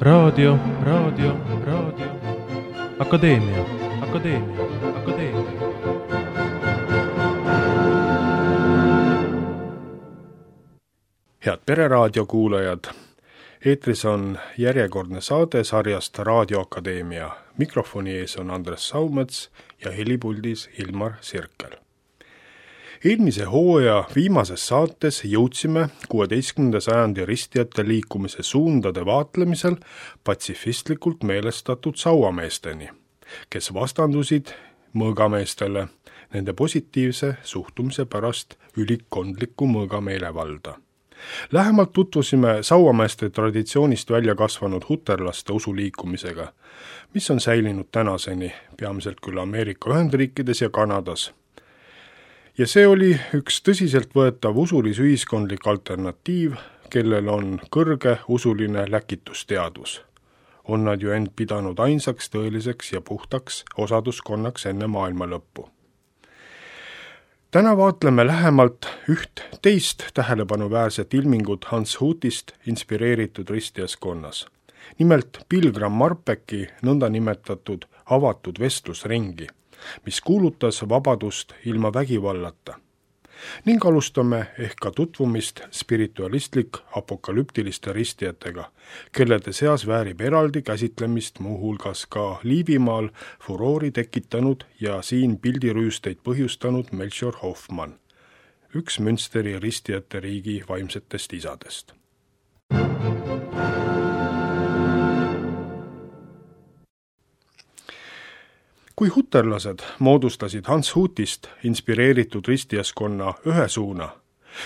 Raadio. Akadeemia. Head Pereraadio kuulajad, eetris on järjekordne saade sarjast Raadio Akadeemia. Mikrofoni ees on Andres Saumets ja helipuldis Ilmar Sirkel. Eelmise hooaja viimases saates jõudsime 16. sajandi ristijate liikumise suundade vaatlemisel patsifistlikult meelestatud sauameesteni, kes vastandusid mõõgameestele nende positiivse suhtumise pärast ülikondliku mõõgameelevalda. Lähemalt tutvusime sauameeste traditsioonist välja kasvanud huterlaste usuliikumisega, mis on säilinud tänaseni, peamiselt küll Ameerika Ühendriikides ja Kanadas. Ja see oli üks tõsiselt võetav usulis-ühiskondlik alternatiiv, kellel on kõrge usuline läkitusteadus. On nad ju end pidanud ainsaks, tõeliseks ja puhtaks osaduskonnaks enne maailma lõppu. Täna vaatleme lähemalt üht teist tähelepanuväärset ilmingut Hans Hutist inspireeritud ristijaskonnas. Nimelt Pilgram Marpecki nõndanimetatud avatud vestlusringi, mis kuulutas vabadust ilma vägivallata. Ning alustame ehk ka tutvumist spiritualistlik apokalüptiliste ristijatega, kellede seas väärib eraldi käsitlemist muuhulgas ka Liivimaal furoori tekitanud ja siin pildirüüsteid põhjustanud Melchior Hoffmann, üks Münsteri ristijate riigi vaimsetest isadest. Kui huterlased moodustasid Hans Hutist inspireeritud ristijaskonna ühe suuna,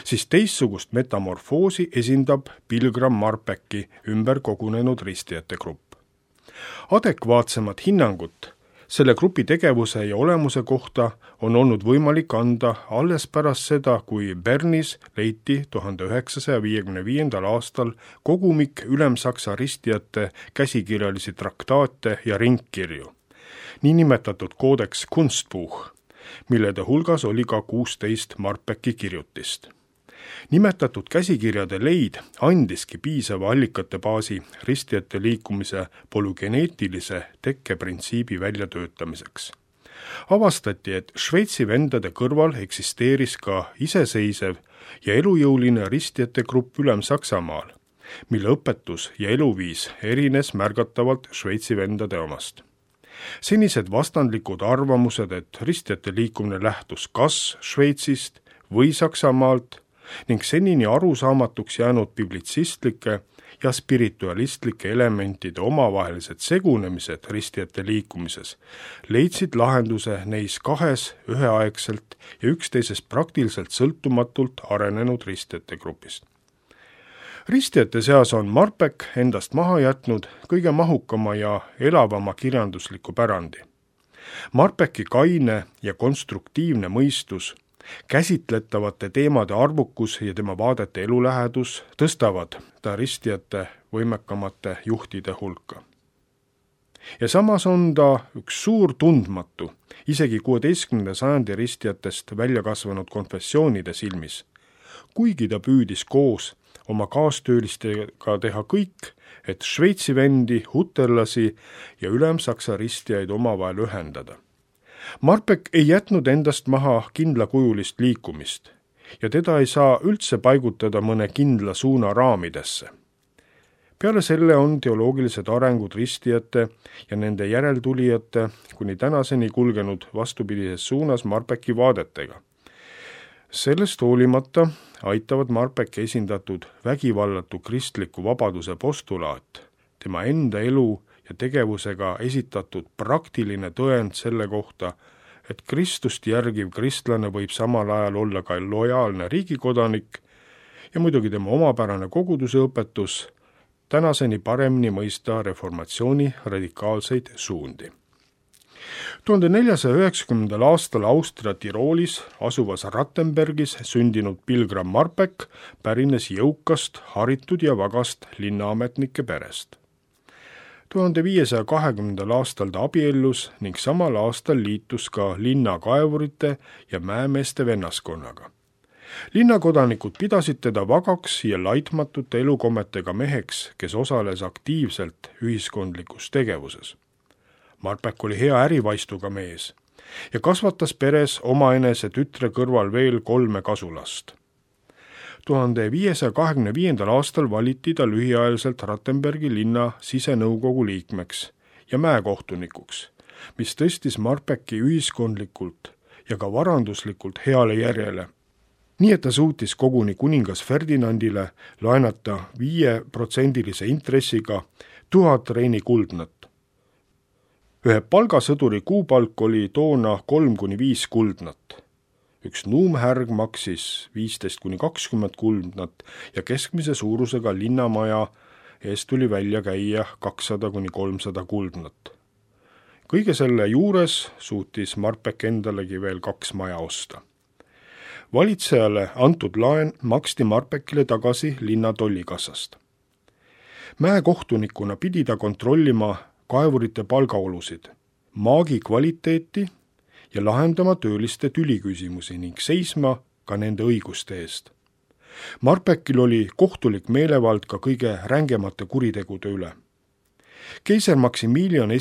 siis teistsugust metamorfoosi esindab Pilgram Marpecki ümber kogunenud ristijate grupp. Adekvaatsemat hinnangut selle grupi tegevuse ja olemuse kohta on olnud võimalik anda alles pärast seda, kui Bernis leiti 1955. aastal kogumik Ülemsaksa ristijate käsikirjalisi traktaate ja ringkirju, niinimetatud koodeks Kunstbuch, millede hulgas oli ka 16 Marpecki kirjutist. Nimetatud käsikirjade leid andiski piisava allikate baasi ristijate liikumise polügeneetilise tekkeprintsiibi väljatöötamiseks. Avastati, et Šveitsi vendade kõrval eksisteeris ka iseseisev ja elujõuline ristijate grupp Ülem-Saksamaal, mille õpetus ja eluviis erines märgatavalt Šveitsi vendade omast. Senised vastandlikud arvamused, et ristijate liikumine lähtus kas Šveitsist või Saksamaalt ning senini arusaamatuks jäänud biblitsistlike ja spiritualistlike elementide omavahelised segunemised ristijate liikumises leidsid lahenduse neis kahes üheaegselt ja üksteisest praktiliselt sõltumatult arenenud ristijate grupist. Ristijate seas on Marpeck endast maha jätnud kõige mahukama ja elavama kirjandusliku pärandi. Marpecki kaine ja konstruktiivne mõistus, käsitletavate teemade arvukus ja tema vaadete elulähedus tõstavad ta ristijate võimekamate juhtide hulka. Ja samas on ta üks suur tundmatu, isegi 16. sajandi ristijatest välja kasvanud konfessioonide silmis, kuigi ta püüdis koos oma kaastöölistega teha kõik, et Šveitsi vendi, huterlasi ja Ülemsaksa ristijaid omavahel ühendada. Marpeck ei jätnud endast maha kindlakujulist liikumist ja teda ei saa üldse paigutada mõne kindla suuna raamidesse. Peale selle on teoloogilised arengud ristijate ja nende järeltulijate kuni tänaseni kulgenud vastupidises suunas Marpecki vaadetega. Sellest hoolimata aitavad Marpecki esindatud vägivallatu kristliku vabaduse postulaat, tema enda elu ja tegevusega esitatud praktiline tõend selle kohta, et Kristust järgiv kristlane võib samal ajal olla ka lojaalne riigikodanik ja muidugi tema omapärane koguduse õpetus tänaseni paremini mõista reformatsiooni radikaalseid suundi. 1490. aastal Austria Tiroolis asuvas Rattenbergis sündinud Pilgram Marpeck pärines jõukast, haritud ja vagast linnaametnike perest. 1520. aastal ta abiellus ning samal aastal liitus ka linnakaevurite ja mäemeeste vennaskonnaga. linnakodanikud pidasid teda vagaks ja laitmatute elukommetega meheks, kes osales aktiivselt ühiskondlikus tegevuses. Marpeck oli hea ärivaistuga mees ja kasvatas peres omaenese tütre kõrval veel 3 kasulast. 1525. aastal valiti ta lühiajaliselt Rattenbergi linna sisenõukogu liikmeks ja mäekohtunikuks, mis tõstis Marpecki ühiskondlikult ja ka varanduslikult heale järjele. Nii et ta suutis koguni kuningas Ferdinandile laenata 5% intressiga 1000 reini kuldnat. Ühe palgasõduri kuupalk oli toona 3-5 kuldnat. Üks nuumhärg maksis 15-20 kuldnat ja keskmise suurusega linnamaja eest tuli välja käia 200-300 kuldnat. Kõige selle juures suutis Marpeck endalegi veel 2 maja osta. Valitsejale antud laen maksti Marpeckile tagasi linna tollikassast. Mäekohtunikuna pidi ta kontrollima kaevurite palgaolusid, maagi kvaliteeti ja lahendama tööliste tüliküsimusi ning seisma ka nende õiguste eest. Marpeckil oli kohtulik meelevald ka kõige rängemate kuritegude üle. Keiser Maximilian I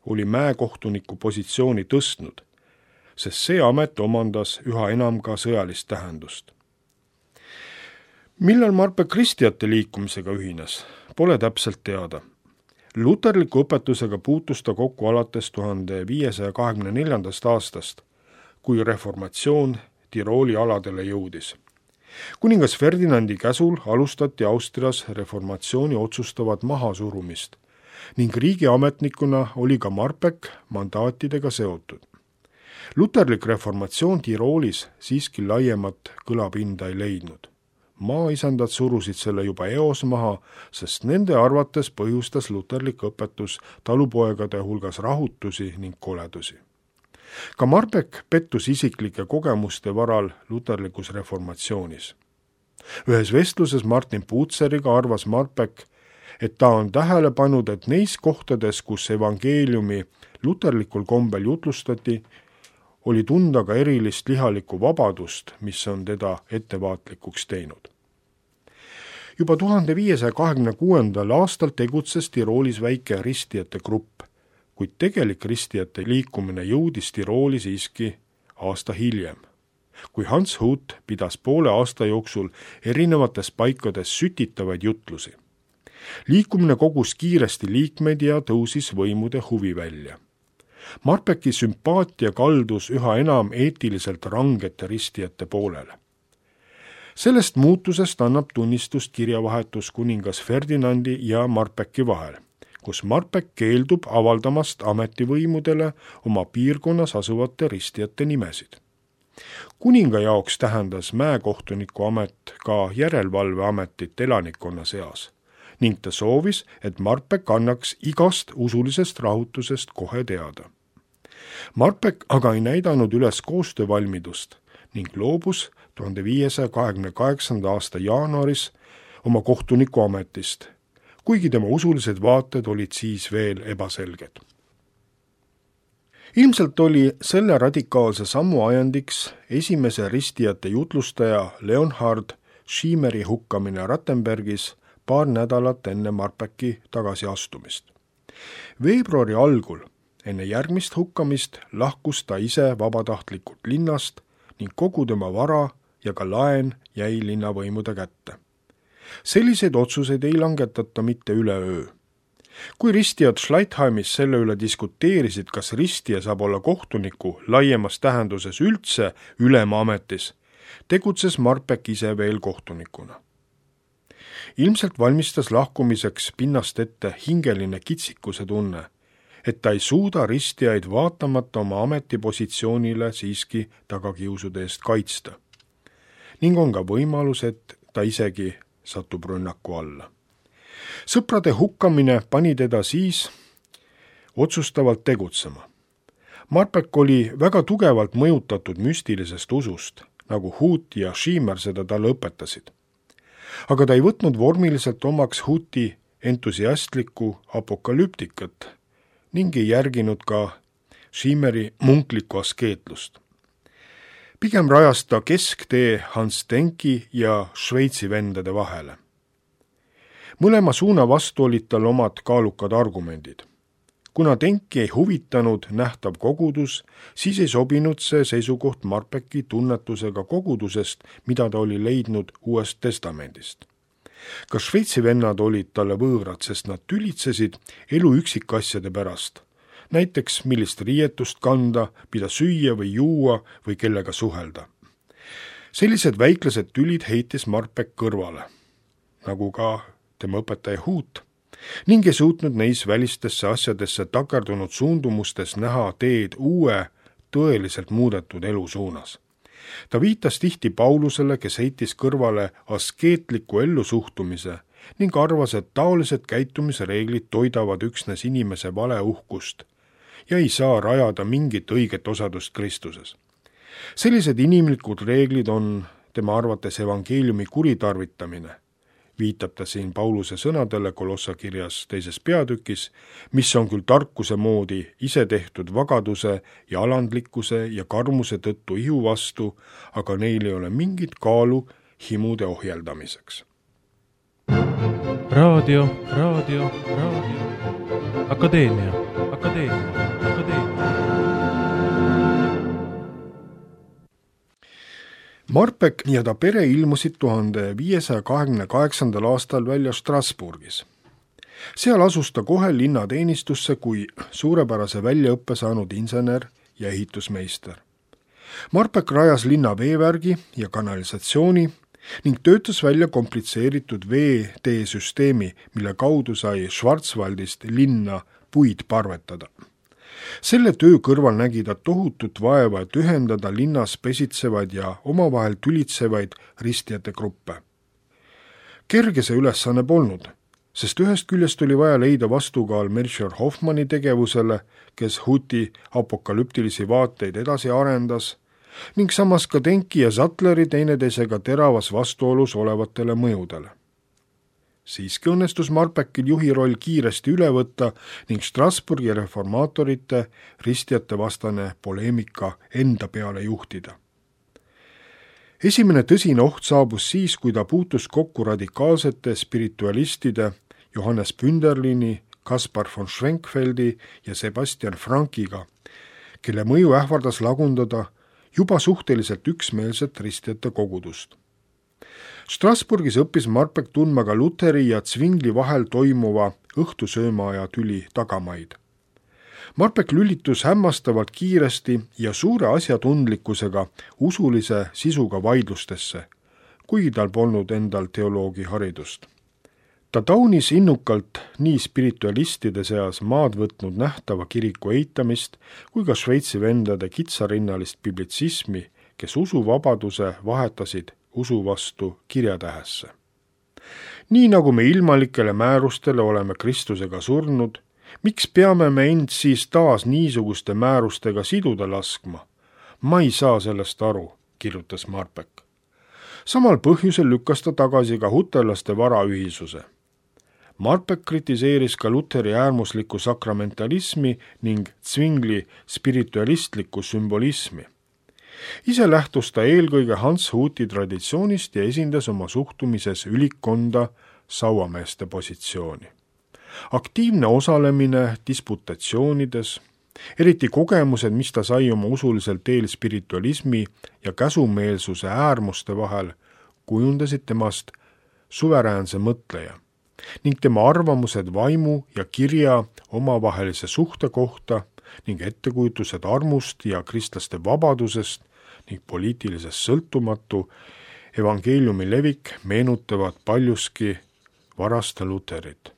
oli mäekohtuniku positsiooni tõstnud, sest see amet omandas üha enam ka sõjalist tähendust. Millal Marpeck ristiate liikumisega ühines, pole täpselt teada. Luterliku õpetusega puutus ta kokku alates 1524. aastast, kui reformatsioon Tirooli aladele jõudis. Kuningas Ferdinandi käsul alustati Austrias reformatsiooni otsustavat mahasurumist ning riigiametnikuna oli ka Marpeck mandaatidega seotud. Luterlik reformatsioon Tiroolis siiski laiemat kõlapinda ei leidnud. Maaisandad surusid selle juba eos maha, sest nende arvates põhjustas luterlik õpetus talupoegade hulgas rahutusi ning koledusi. Ka Marpeck pettus isiklike kogemuste varal luterlikus reformatsioonis. Ühes vestluses Martin Puutseriga arvas Marpeck, et ta on tähele pannud, et neis kohtades, kus evangeeliumi luterlikul kombel jutlustati, oli tunda ka erilist lihalikku vabadust, mis on teda ettevaatlikuks teinud. Juba 1526. aastal tegutses Tiroolis väike ristijate grupp, kuid tegelik ristijate liikumine jõudis Tirooli siiski aasta hiljem, kui Hans Hut pidas poole aasta jooksul erinevates paikades sütitavaid jutlusi. Liikumine kogus kiiresti liikmeid ja tõusis võimude huvi välja. Marpecki sümpaatia kaldus üha enam eetiliselt rangete ristijate poolele. Sellest muutusest annab tunnistust kirjavahetus kuningas Ferdinandi ja Marpecki vahel, kus Marpeck keeldub avaldamast ametivõimudele oma piirkonnas asuvate ristijate nimesid. Kuninga jaoks tähendas mäekohtuniku amet ka järelevalveametit elanikkonna seas ning ta soovis, et Marpeck annaks igast usulisest rahutusest kohe teada. Marpeck aga ei näidanud üles koostöövalmidust ning loobus 1528. aasta jaanuaris oma kohtuniku ametist, kuigi tema usulised vaated olid siis veel ebaselged. Ilmselt oli selle radikaalse sammu ajendiks esimese ristijate jutlustaja Leonhard Schiemeri hukkamine Rattenbergis paar nädalat enne Marpecki tagasiastumist. Veebruari algul enne järgmist hukkamist lahkus ta ise vabatahtlikult linnast ning kogu tema vara ja ka laen jäi linnavõimude kätte. Selliseid otsuseid ei langetata mitte üleöö. Kui ristijad Schleitheimis selle üle diskuteerisid, kas ristija saab olla kohtuniku laiemas tähenduses üldse ülema ametis, tegutses Marpeck ise veel kohtunikuna. Ilmselt valmistas lahkumiseks pinnast ette hingeline kitsikuse tunne, et ta ei suuda ristijaid vaatamata oma ametipositsioonile siiski tagakiusude eest kaitsta. Ning on ka võimalus, et ta isegi satub rünnaku alla. Sõprade hukkamine pani teda siis otsustavalt tegutsema. Marpeck oli väga tugevalt mõjutatud müstilisest usust, nagu Hut ja Schiemer seda talle õpetasid. Aga ta ei võtnud vormiliselt omaks Huti entusiastlikku apokalüptikat ning ei järginud ka Schiemeri munklikku askeetlust. Pigem rajas ta kesktee Hans Denki ja Šveitsi vendade vahele. Mõlema suuna vastu olid tal omad kaalukad argumendid. Kuna Denki ei huvitanud nähtav kogudus, siis ei sobinud see seisukoht Marpeki tunnetusega kogudusest, mida ta oli leidnud Uuest Testamendist. Ka Šveitsi vennad olid talle võõrad, sest nad tülitsesid elu üksikasjade pärast. Näiteks millist riietust kanda, mida süüa või juua või kellega suhelda. Sellised väiklased tülid heitis Marpek kõrvale, nagu ka tema õpetaja Huut, ning ei suutnud neis välistesse asjadesse takerdunud suundumustes näha teed uue, tõeliselt muudetud elu suunas. Ta viitas tihti Paulusele, kes heitis kõrvale askeetliku ellusuhtumise ning arvas, et taolised käitumisreeglid toidavad üksnes inimese valeuhkust ja ei saa rajada mingit õiget osadust Kristuses. Sellised inimlikud reeglid on tema arvates evangeeliumi kuritarvitamine, viitab ta siin Pauluse sõnadele Kolossa kirjas 2. peatükis, mis on küll tarkuse moodi isetehtud vagaduse ja alandlikkuse ja karmuse tõttu ihu vastu, aga neil ei ole mingit kaalu himude ohjeldamiseks. Raadio. Akadeemia. Marpek ja ta pere ilmusid 1528. aastal välja Strasbourgis. Seal asus ta kohe linnateenistusse kui suurepärase väljaõppe saanud insener ja ehitusmeister. Marpek rajas linna veevärgi ja kanalisatsiooni ning töötas välja komplitseeritud veeteesüsteemi, mille kaudu sai Schwarzwaldist linna puid parvetada. Selle töö kõrval nägi ta tohutut vaeva, et ühendada linnas pesitsevaid ja omavahel tülitsevaid ristjate gruppe. Kerge see ülesanne polnud, sest ühest küljest oli vaja leida vastukaal Melchior Hoffmanni tegevusele, kes Huti apokalüptilisi vaateid edasi arendas, ning samas ka Denki ja Sattleri teineteisega teravas vastuolus olevatele mõjudele. Siiski õnnestus Marpekil juhi roll kiiresti üle võtta ning Strasbourgi reformaatorite ristjate vastane poleemika enda peale juhtida. Esimene tõsine oht saabus siis, kui ta puutus kokku radikaalsete spiritualistide Johannes Pünderlini, Kaspar von Schwenkfeldi ja Sebastian Frankiga, kelle mõju ähvardas lagundada juba suhteliselt üksmeelset ristjate kogudust. Strasbourgis õppis Marpek tundma ka Luteri ja Zwingli vahel toimuva õhtusöömaaja tüli tagamaid. Marpek lülitus hämmastavalt kiiresti ja suure asjatundlikkusega usulise sisuga vaidlustesse, kuigi tal polnud endal teoloogi haridust. Ta taunis innukalt nii spiritualistide seas maad võtnud nähtava kiriku eitamist kui ka Šveitsi vendade kitsarinnalist biblitsismi, kes usuvabaduse vahetasid usu vastu kirjatähesse. Nii nagu me ilmalikele määrustele oleme Kristusega surnud, miks peame me end siis taas niisuguste määrustega siduda laskma? Ma ei saa sellest aru, kirjutas Marpek. Samal põhjusel lükkas ta tagasi ka huterlaste varaühisuse. Marpek kritiseeris ka Luteri äärmuslikku sakramentalismi ning Zwingli spiritualistlikku sümbolismi. Ise lähtus ta eelkõige Hans Huti traditsioonist ja esindas oma suhtumises ülikkonda sauameeste positsiooni. Aktiivne osalemine disputatsioonides, eriti kogemused, mis ta sai oma usulisel teel spiritualismi ja käsumeelsuse äärmuste vahel, kujundasid temast suveräänse mõtleja ning tema arvamused vaimu ja kirja omavahelise suhte kohta ning ettekujutused armust ja kristlaste vabadusest ning poliitilisest sõltumatu evangeeliumi levik meenutavad paljuski varasta Luterit.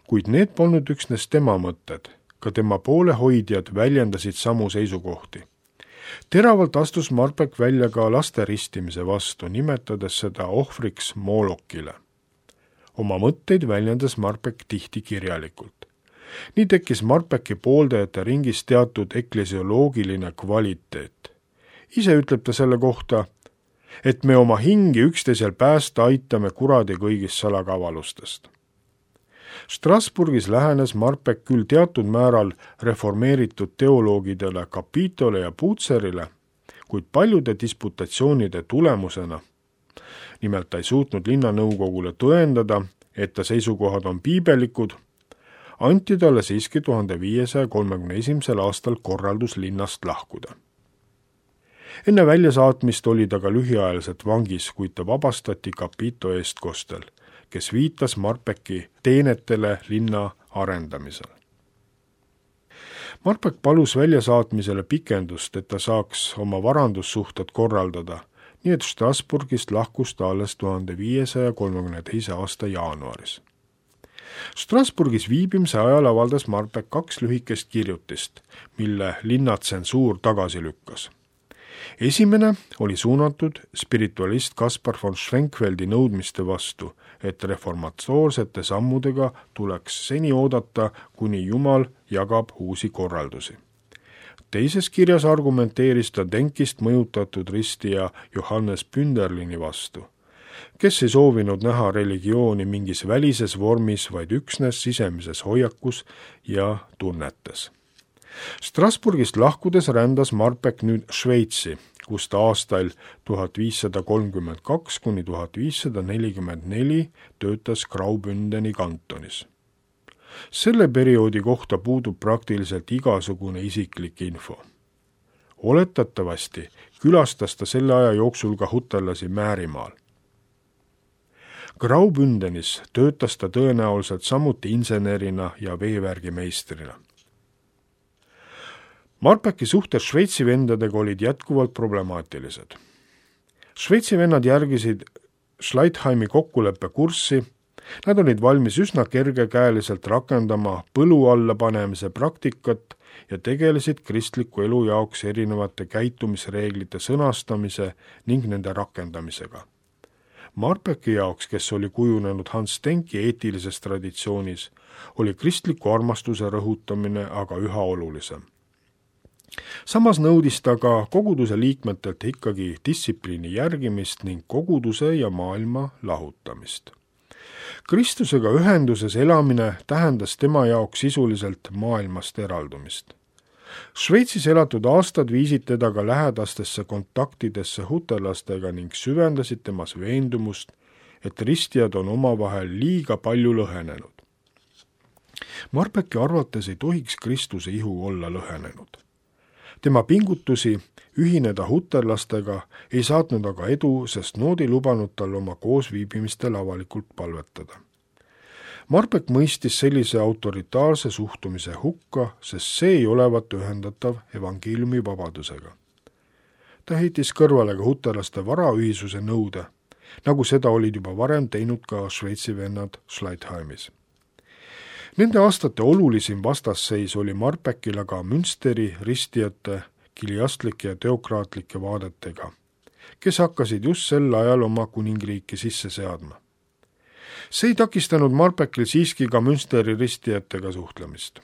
Kuid need polnud üksnes tema mõtted, ka tema poolehoidjad väljendasid samu seisukohti. Teravalt astus Marpek välja ka laste ristimise vastu, nimetades seda ohvriks Molokile. Oma mõtteid väljendas Marpek tihti kirjalikult. Nii tekkis Marpeki pooldajate ringis teatud eklesioloogiline kvaliteet. Ise ütleb ta selle kohta, et me oma hingi üksteisel päästa aitame kuradi kõigist salakavalustest. Strasbourgis lähenes Marpek küll teatud määral reformeeritud teoloogidele Capitole ja Putzerile, kuid paljude disputatsioonide tulemusena, nimelt ta ei suutnud linnanõukogule tõendada, et ta seisukohad on piibelikud, anti talle siiski 1531. aastal korraldus linnast lahkuda. Enne väljasaatmist oli ta ka lühiajaliselt vangis, kuid ta vabastati Capito eestkostel, kes viitas Marpeki teenetele linna arendamisel. Marpek palus väljasaatmisele pikendust, et ta saaks oma varandussuhted korraldada, nii et Strasbourgist lahkus ta alles 1532. aasta jaanuaris. Strasbourgis viibimise ajal avaldas Marpek 2 lühikest kirjutist, mille linnatsensuur tagasi lükkas. Esimene oli suunatud spiritualist Kaspar von Schwenkfeldi nõudmiste vastu, et reformatoorsete sammudega tuleks seni oodata, kuni Jumal jagab uusi korraldusi. Teises kirjas argumenteeris ta Denkist mõjutatud ristija Johannes Pünderlini vastu, kes ei soovinud näha religiooni mingis välises vormis, vaid üksnes sisemises hoiakus ja tunnetes. Strasbourgist lahkudes rändas Marpek nüüd Šveitsi, kus ta aastail 1532 kuni 1544 töötas Graubündeni kantonis. Selle perioodi kohta puudub praktiliselt igasugune isiklik info. Oletatavasti külastas ta selle aja jooksul ka hutellasi Määrimaal. Graubündenis töötas ta tõenäoliselt samuti insenerina ja veevärgimeistrina. Marpeki suhted Šveitsi vendadega olid jätkuvalt problemaatilised. Šveitsi vennad järgisid Schleitheimi kokkuleppe kurssi, nad olid valmis üsna kergekäeliselt rakendama põlu alla panemise praktikat ja tegelesid kristliku elu jaoks erinevate käitumisreeglite sõnastamise ning nende rakendamisega. Marpeki jaoks, kes oli kujunenud Hans Denki eetilises traditsioonis, oli kristliku armastuse rõhutamine aga üha olulisem. Samas nõudis ta ka koguduse liikmetelt ikkagi distsipliini järgimist ning koguduse ja maailma lahutamist. Kristusega ühenduses elamine tähendas tema jaoks sisuliselt maailmast eraldumist. Šveitsis elatud aastad viisid teda ka lähedastesse kontaktidesse hutellastega ning süvendasid temas veendumust, et ristijad on omavahel liiga palju lõhenenud. Marpeki arvates ei tohiks Kristuse ihu olla lõhenenud. Tema pingutusi ühineda hutellastega ei saatnud aga edu, sest nood ei lubanud tal oma koosviibimistel avalikult palvetada. Marpek mõistis sellise autoritaarse suhtumise hukka, sest see ei olevat ühendatav evangeeliumi vabadusega. Ta heitis kõrvale ka hutellaste varaühisuse nõude, nagu seda olid juba varem teinud ka Šveitsi vennad Schleitheimis. Nende aastate olulisim vastasseis oli Marpekil aga Münsteri ristijate kiliastlike ja teokraatlike vaadetega, kes hakkasid just sel ajal oma kuningriiki sisse seadma. See ei takistanud Marpekil siiski ka Münsteri ristijatega suhtlemist.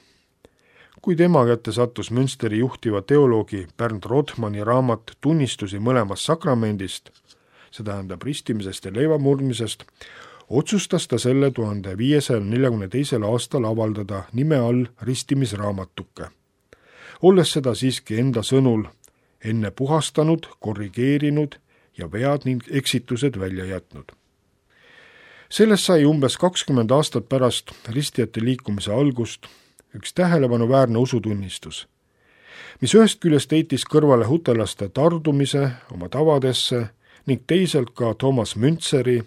Kui tema kätte sattus Münsteri juhtiva teoloogi Bernd Rothmanni raamat Tunnistusi mõlemast sakramendist, see tähendab ristimisest ja leivamurdmisest, otsustas ta selle 1542. aastal avaldada nime all ristimisraamatuke, olles seda siiski enda sõnul enne puhastanud, korrigeerinud ja vead ning eksitused välja jätnud. Sellest sai umbes 20 aastat pärast ristijate liikumise algust üks tähelepanuväärne usutunnistus, mis ühest küljest heitis kõrvale hutellaste tardumise oma tavadesse ning teisalt ka Thomas Müntseri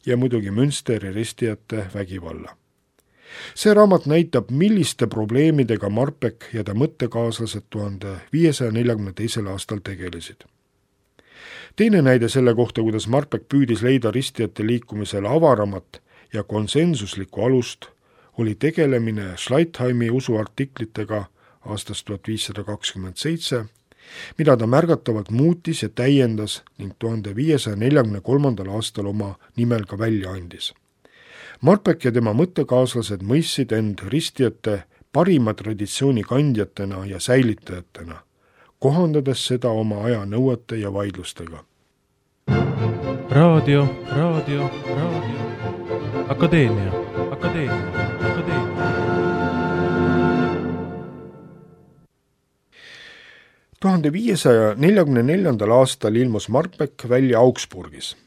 ja muidugi Münsteri ristijate vägivalla. See raamat näitab, milliste probleemidega Marpek ja ta mõttekaaslased 1542. aastal tegelesid. Teine näide selle kohta, kuidas Marpek püüdis leida ristijate liikumisele avaramat ja konsensuslikku alust, oli tegelemine Schleitheimi usuartiklitega aastast 1527, mida ta märgatavalt muutis ja täiendas ning 1543. aastal oma nimel ka välja andis. Marpek ja tema mõttekaaslased mõistsid end ristijate parima traditsiooni kandjatena ja säilitajatena, kohandades seda oma aja nõuete ja vaidlustega. Raadio. Akadeemia. 1544. aastal ilmus Marpeck välja Augsburgis.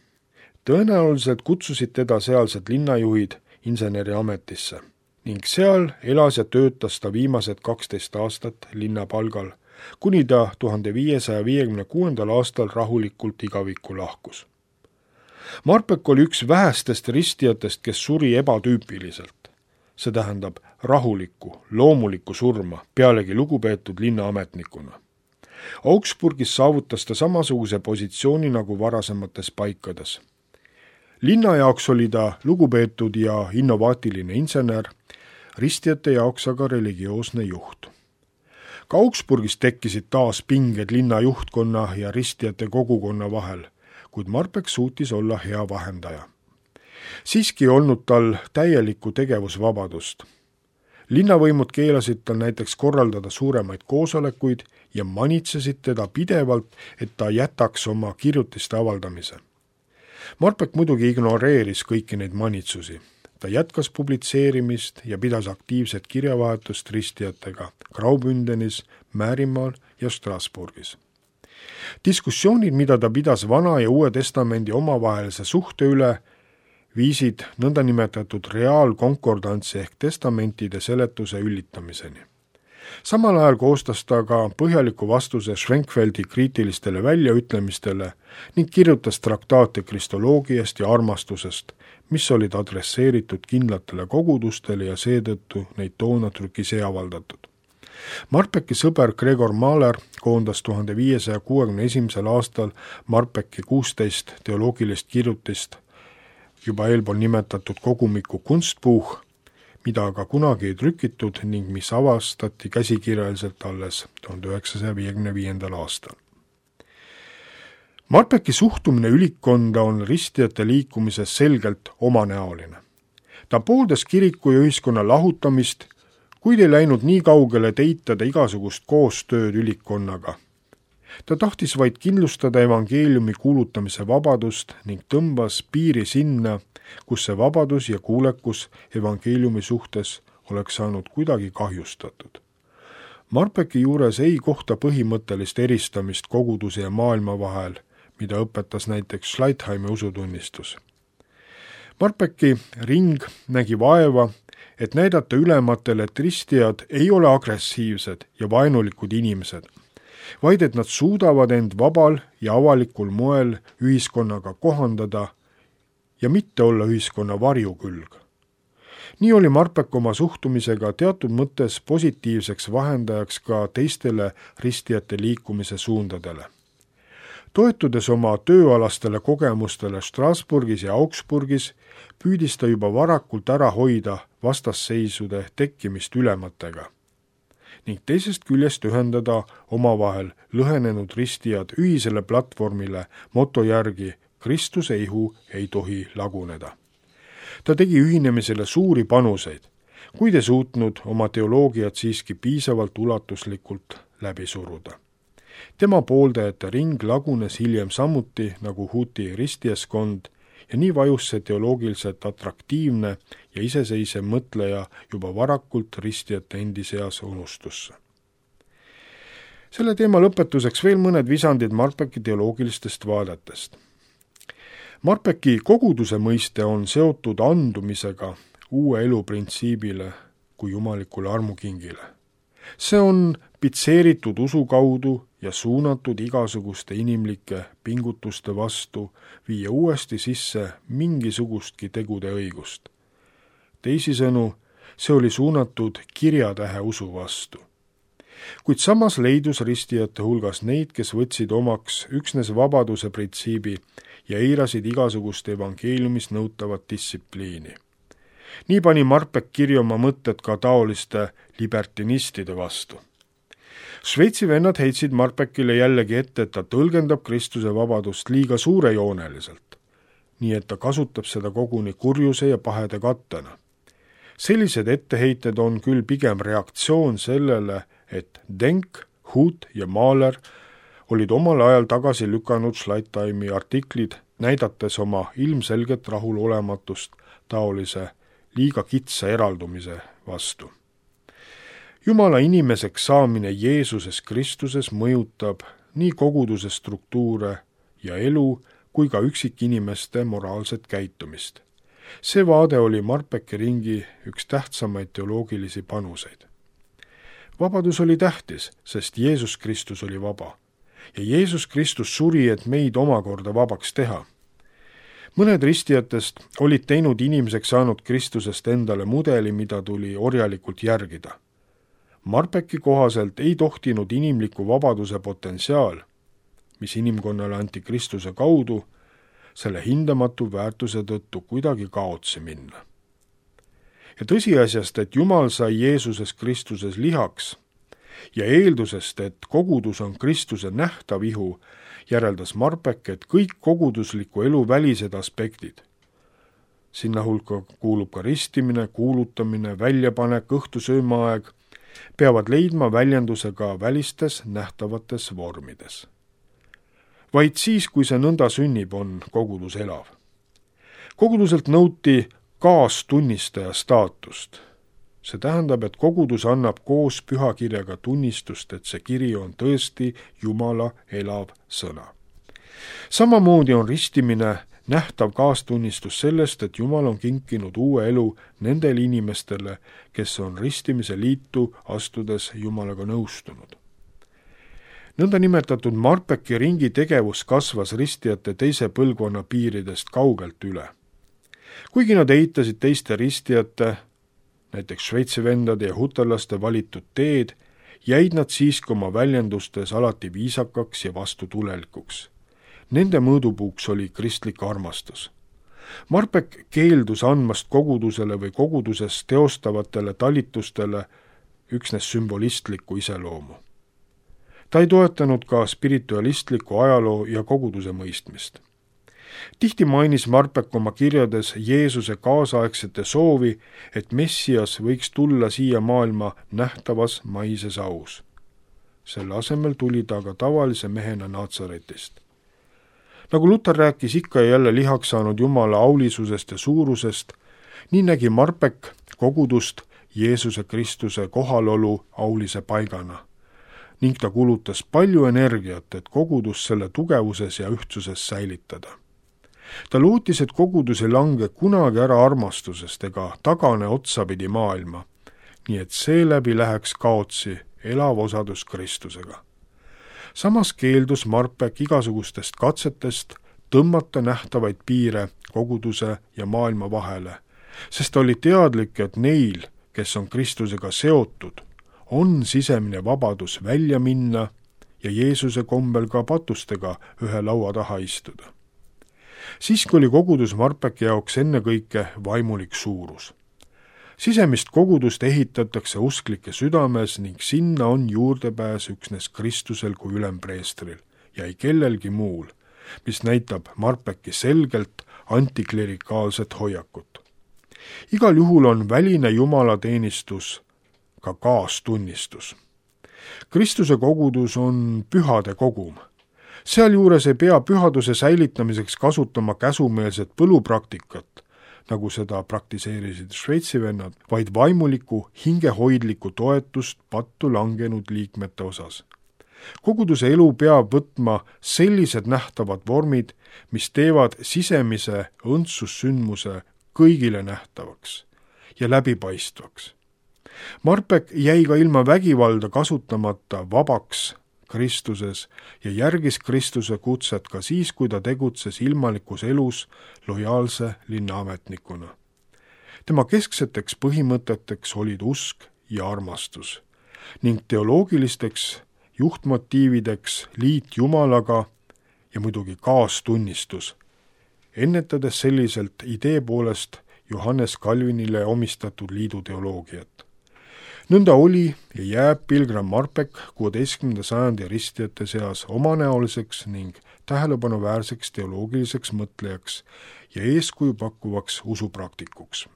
Tõenäoliselt kutsusid teda sealsed linnajuhid inseneriametisse ning seal elas ja töötas ta viimased 12 aastat linnapalgal, kuni ta 1556. aastal rahulikult igavikku lahkus. Marpeck oli üks vähestest ristijatest, kes suri ebatüüpiliselt. See tähendab rahulikku, loomulikku surma, pealegi lugupeetud linnaametnikuna. Augsburgis saavutas ta samasuguse positsiooni nagu varasemates paikades. Linna jaoks oli ta lugupeetud ja innovaatiline insener, ristijate jaoks aga religioosne juht. Ka Augsburgis tekkisid taas pinged linna juhtkonna ja ristijate kogukonna vahel, kuid Marpeck suutis olla hea vahendaja. Siiski ei olnud tal täielikku tegevusvabadust. Linnavõimud keelasid tal näiteks korraldada suuremaid koosolekuid ja manitsesid teda pidevalt, et ta jätaks oma kirjutiste avaldamise. Marpeck muidugi ignoreeris kõiki neid manitsusi. Ta jätkas publitseerimist ja pidas aktiivset kirjavahetust ristijatega Graubündenis, Määrimaal ja Strasbourgis. Diskussioonid, mida ta pidas Vana ja Uue Testamendi omavahelise suhte üle, viisid nõndanimetatud reaalkonkordantsi ehk testamentide seletuse üllitamiseni. Samal ajal koostas ta ka põhjaliku vastuse Schwenkfeldi kriitilistele väljaütlemistele ning kirjutas traktaate kristoloogiast ja armastusest, mis olid adresseeritud kindlatele kogudustele ja seetõttu neid toona trükis ei avaldatud. Marpecki sõber Gregor Mahler koondas 1561. aastal Marpecki 16 teoloogilist kirjutist juba eelpool nimetatud kogumiku Kunstbuch, mida aga kunagi ei trükitud ning mis avastati käsikirjaliselt alles 1955. aastal. Marpecki suhtumine ülikkonda on ristijate liikumises selgelt omanäoline. Ta pooldas kiriku ja ühiskonna lahutamist, kuid ei läinud nii kaugele, et eitada igasugust koostööd ülikkonnaga. Ta tahtis vaid kindlustada evangeeliumi kuulutamise vabadust ning tõmbas piiri sinna, kus see vabadus ja kuulekus evangeeliumi suhtes oleks saanud kuidagi kahjustatud. Marpecki juures ei kohta põhimõttelist eristamist koguduse ja maailma vahel, mida õpetas näiteks Schleitheimi usutunnistus. Marpecki ring nägi vaeva, et näidata ülematele, et ristijad ei ole agressiivsed ja vaenulikud inimesed, vaid et nad suudavad end vabal ja avalikul moel ühiskonnaga kohandada ja mitte olla ühiskonna varjukülg. Nii oli Marpeck oma suhtumisega teatud mõttes positiivseks vahendajaks ka teistele ristijate liikumise suundadele. Toetudes oma tööalastele kogemustele Strasbourgis ja Augsburgis, püüdis ta juba varakult ära hoida vastasseisude tekkimist ülematega ning teisest küljest ühendada omavahel lõhenenud ristijad ühisele platvormile moto järgi Kristuse ihu ei tohi laguneda. Ta tegi ühinemisele suuri panuseid, kuid ei suutnud oma teoloogiat siiski piisavalt ulatuslikult läbi suruda. Tema pooldajate ring lagunes hiljem samuti nagu Huti ristijaskond ja nii vajus see teoloogiliselt atraktiivne ja iseseisev mõtleja juba varakult ristijate endi seas unustusse. Selle teema lõpetuseks veel mõned visandid Marpecki teoloogilistest vaadetest. Marpecki koguduse mõiste on seotud andumisega uue elu printsiibile kui jumalikule armukingile. See on pitseeritud usu kaudu ja suunatud igasuguste inimlike pingutuste vastu viia uuesti sisse mingisugustki tegude õigust. Teisisõnu, see oli suunatud kirjatähe usu vastu. Kuid samas leidus ristijate hulgas neid, kes võtsid omaks üksnes vabaduse printsiibi ja eirasid igasugust evangeeliumis nõutavat distsipliini. Nii pani Marpeck kirja oma mõtted ka taoliste libertinistide vastu. Šveitsi vennad heitsid Marpeckile jällegi ette, et ta tõlgendab Kristuse vabadust liiga suurejooneliselt, nii et ta kasutab seda koguni kurjuse ja pahede kattena. Sellised etteheited on küll pigem reaktsioon sellele, et Denk, Hut ja Mahler olid omal ajal tagasi lükanud Schleitheimi artiklid, näidates oma ilmselget rahulolematust taolise liiga kitsa eraldumise vastu. Jumala inimeseks saamine Jeesuses Kristuses mõjutab nii koguduse struktuure ja elu kui ka üksikinimeste moraalset käitumist. See vaade oli Marpeki ringi üks tähtsamaid teoloogilisi panuseid. Vabadus oli tähtis, sest Jeesus Kristus oli vaba. Ja Jeesus Kristus suri, et meid omakorda vabaks teha. Mõned ristijatest olid teinud inimeseks saanud Kristusest endale mudeli, mida tuli orjalikult järgida. Marpeki kohaselt ei tohtinud inimliku vabaduse potentsiaal, mis inimkonnale anti Kristuse kaudu, selle hindamatu väärtuse tõttu kuidagi kaotsi minna. Ja tõsiasjast, et Jumal sai Jeesuses Kristuses lihaks ja eeldusest, et kogudus on Kristuse nähtav ihu, järeldas Marpek, et kõik kogudusliku elu välised aspektid, sinna hulka kuulub ka ristimine, kuulutamine, väljapanek, õhtusöömaaeg, peavad leidma väljenduse ka välistes nähtavates vormides. Vaid siis, kui see nõnda sünnib, on kogudus elav. Koguduselt nõuti kaastunnistaja staatust. See tähendab, et kogudus annab koos pühakirjaga tunnistust, et see kiri on tõesti Jumala elav sõna. Samamoodi on ristimine nähtav kaastunnistus sellest, et Jumal on kinkinud uue elu nendele inimestele, kes on ristimise liitu astudes Jumalaga nõustunud. Nõnda nimetatud Marpeki ringi tegevus kasvas ristijate teise põlvkonna piiridest kaugelt üle. Kuigi nad eitasid teiste ristijate, näiteks Šveitsi vendade ja hutarlaste valitud teed, jäid nad siiski oma väljendustes alati viisakaks ja vastutulelikuks. Nende mõõdupuuks oli kristlik armastus. Marpek keeldus andmast kogudusele või koguduses teostavatele talitustele üksnes sümbolistlikku iseloomu. Ta ei toetanud ka spiritualistliku ajaloo ja koguduse mõistmist. Tihti mainis Marpek oma kirjades Jeesuse kaasaegsete soovi, et Messias võiks tulla siia maailma nähtavas maises aus. Selle asemel tuli ta aga tavalise mehena Natsaretist. Nagu Luter rääkis ikka ja jälle lihaks saanud Jumala aulisusest ja suurusest, nii nägi Marpek kogudust Jeesuse Kristuse kohalolu aulise paigana ning ta kulutas palju energiat, et kogudus selle tugevuses ja ühtsuses säilitada. Ta lootis, et kogudus ei lange kunagi ära armastusest ega tagane otsapidi maailma, nii et seeläbi läheks kaotsi elav osadus Kristusega. Samas keeldus Marpek igasugustest katsetest tõmmata nähtavaid piire koguduse ja maailma vahele, sest ta oli teadlik, et neil, kes on Kristusega seotud, on sisemine vabadus välja minna ja Jeesuse kombel ka patustega ühe laua taha istuda. Siiski oli kogudus Marpeki jaoks ennekõike vaimulik suurus. Sisemist kogudust ehitatakse usklike südames ning sinna on juurdepääs üksnes Kristusel kui ülempreestril ja ei kellelgi muul, mis näitab Marpeki selgelt antiklerikaalset hoiakut. Igal juhul on väline jumalateenistus ka kaastunnistus. Kristuse kogudus on pühade kogum. Sealjuures ei pea pühaduse säilitamiseks kasutama käsumeelset põlupraktikat, nagu seda praktiseerisid Šveitsi vennad, vaid vaimuliku, hingehoidliku toetust pattu langenud liikmete osas. Koguduse elu peab võtma sellised nähtavad vormid, mis teevad sisemise õndsussündmuse kõigile nähtavaks ja läbipaistvaks. Marpek jäi ka ilma vägivalda kasutamata vabaks Kristuses ja järgis Kristuse kutset ka siis, kui ta tegutses ilmalikus elus lojaalse linnaametnikuna. Tema keskseteks põhimõteteks olid usk ja armastus ning teoloogilisteks juhtmotiivideks liit Jumalaga ja muidugi kaastunnistus, ennetades selliselt idee poolest Johannes Calvinile omistatud liidu teoloogiat. Nõnda oli ja jääb pilgrim Marpek 16. sajandi ristijate seas omanäoliseks ning tähelepanuväärseks teoloogiliseks mõtlejaks ja eeskuju pakkuvaks usupraktikuks.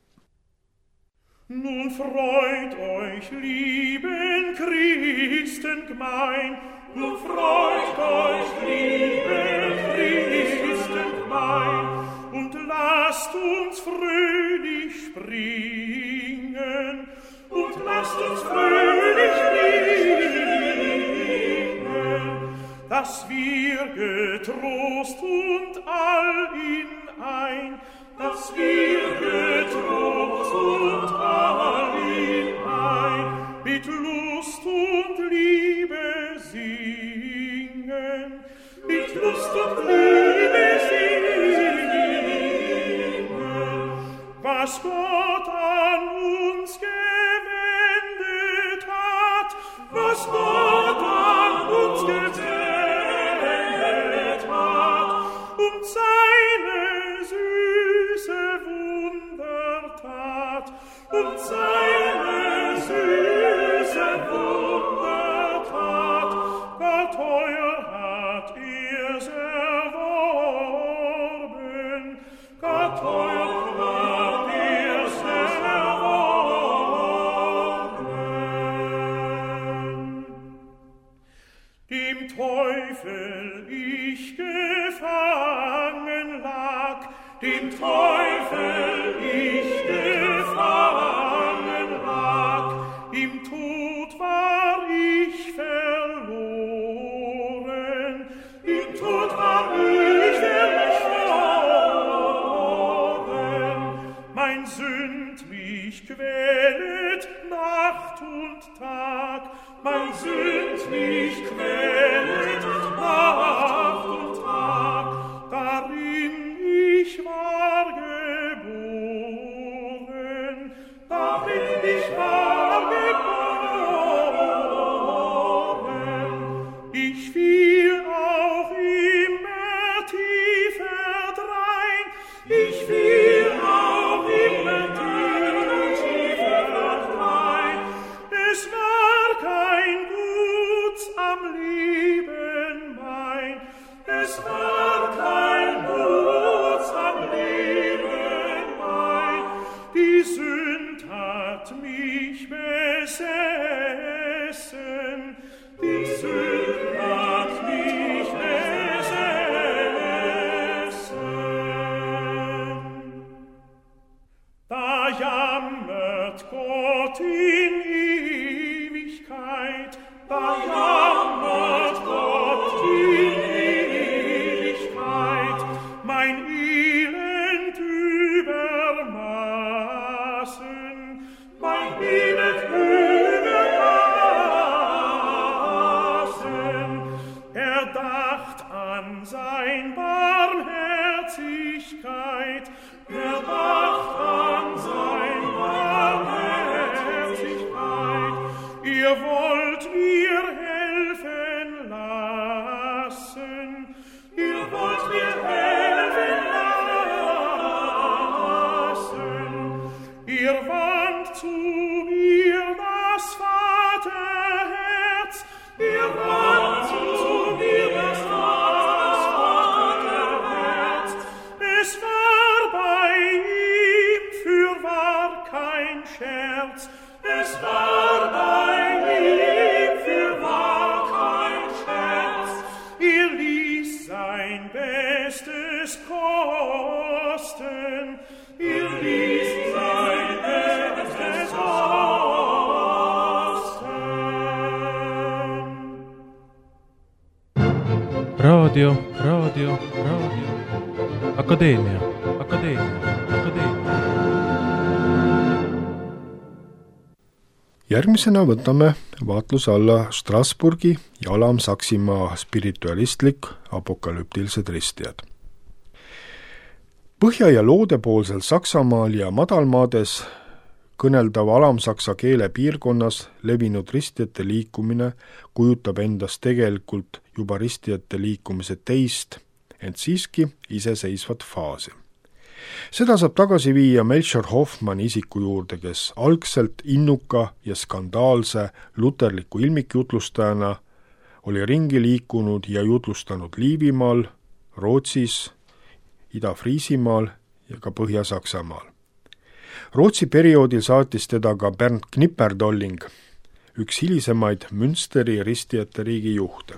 Nun freut euch, lieben Christengemein, nun freut euch, lieben Christengemein, und lasst uns fröhlich springen, und lasst uns fröhlich dass wir getrost und all in ein, dass wir getrost und all in ein, mit Lust und Liebe singen, mit Lust und Liebe singen, was Gott an uns gewendet hat, was Gott an uns gewendet hat, und seine süße Wundertat, und seine süße Wundertat, gar teuer hat er's erworben, gar teuer hat er's erworben. Dem Teufel ich gefangen lag, dem Teufel ich gefangen lag, im Tod war ich verloren, im Tod war ich verloren. Mein Sünd mich quälet Nacht und Tag, mein Sünd mich quälet Nacht und Tag, darin ich war geboren, darin ich war geboren. Ich fiel auch immer tiefer drein, ich fiel auch immer tiefer drein. Es war kein Guts am Leben mein, es war kein Guts am Leben mein. Die Sünd hat mich besessen, die Sünd hat mich besessen. Da jammert Gott in Ewigkeit, da jammert Gott in Ewigkeit, mein Elend übermaßen, mein Elend übermaßen. Er dacht an sein Barmherzigkeit, er dacht an sein Barmherzigkeit. Ihr wollt mir helfen lassen, ihr wollt mir helfen lassen. Ihr wandt zu mir das Vaterherz, ihr wandt zu mir das Vaterherz. Es war bei ihm fürwahr kein Scherz, es war bei ihm fürwahr kein Scherz. Er ließ sein Bestes kosten, er ließ sein Bestes kosten. Radio Akadeemia. Järgmisena võtame vaatluse alla Strasbourgi ja Alam-Saksimaa spiritualistlik apokalüptilised ristijad. Põhja- ja loodepoolsel Saksamaal ja madalmaades kõneldava alamsaksa keele piirkonnas levinud ristijate liikumine kujutab endast tegelikult juba ristijate liikumise teist, ent siiski iseseisvat faasi. Seda saab tagasi viia Melchior Hoffmanni isiku juurde, kes algselt innuka ja skandaalse luterliku ilmikjutlustajana oli ringi liikunud ja jutlustanud Liivimaal, Rootsis, Ida-Friisimaal ja ka Põhja-Saksamaal. Rootsi perioodil saatis teda ka Bernd Knipperdolling, üks hilisemaid Münsteri ristijate riigi juhte.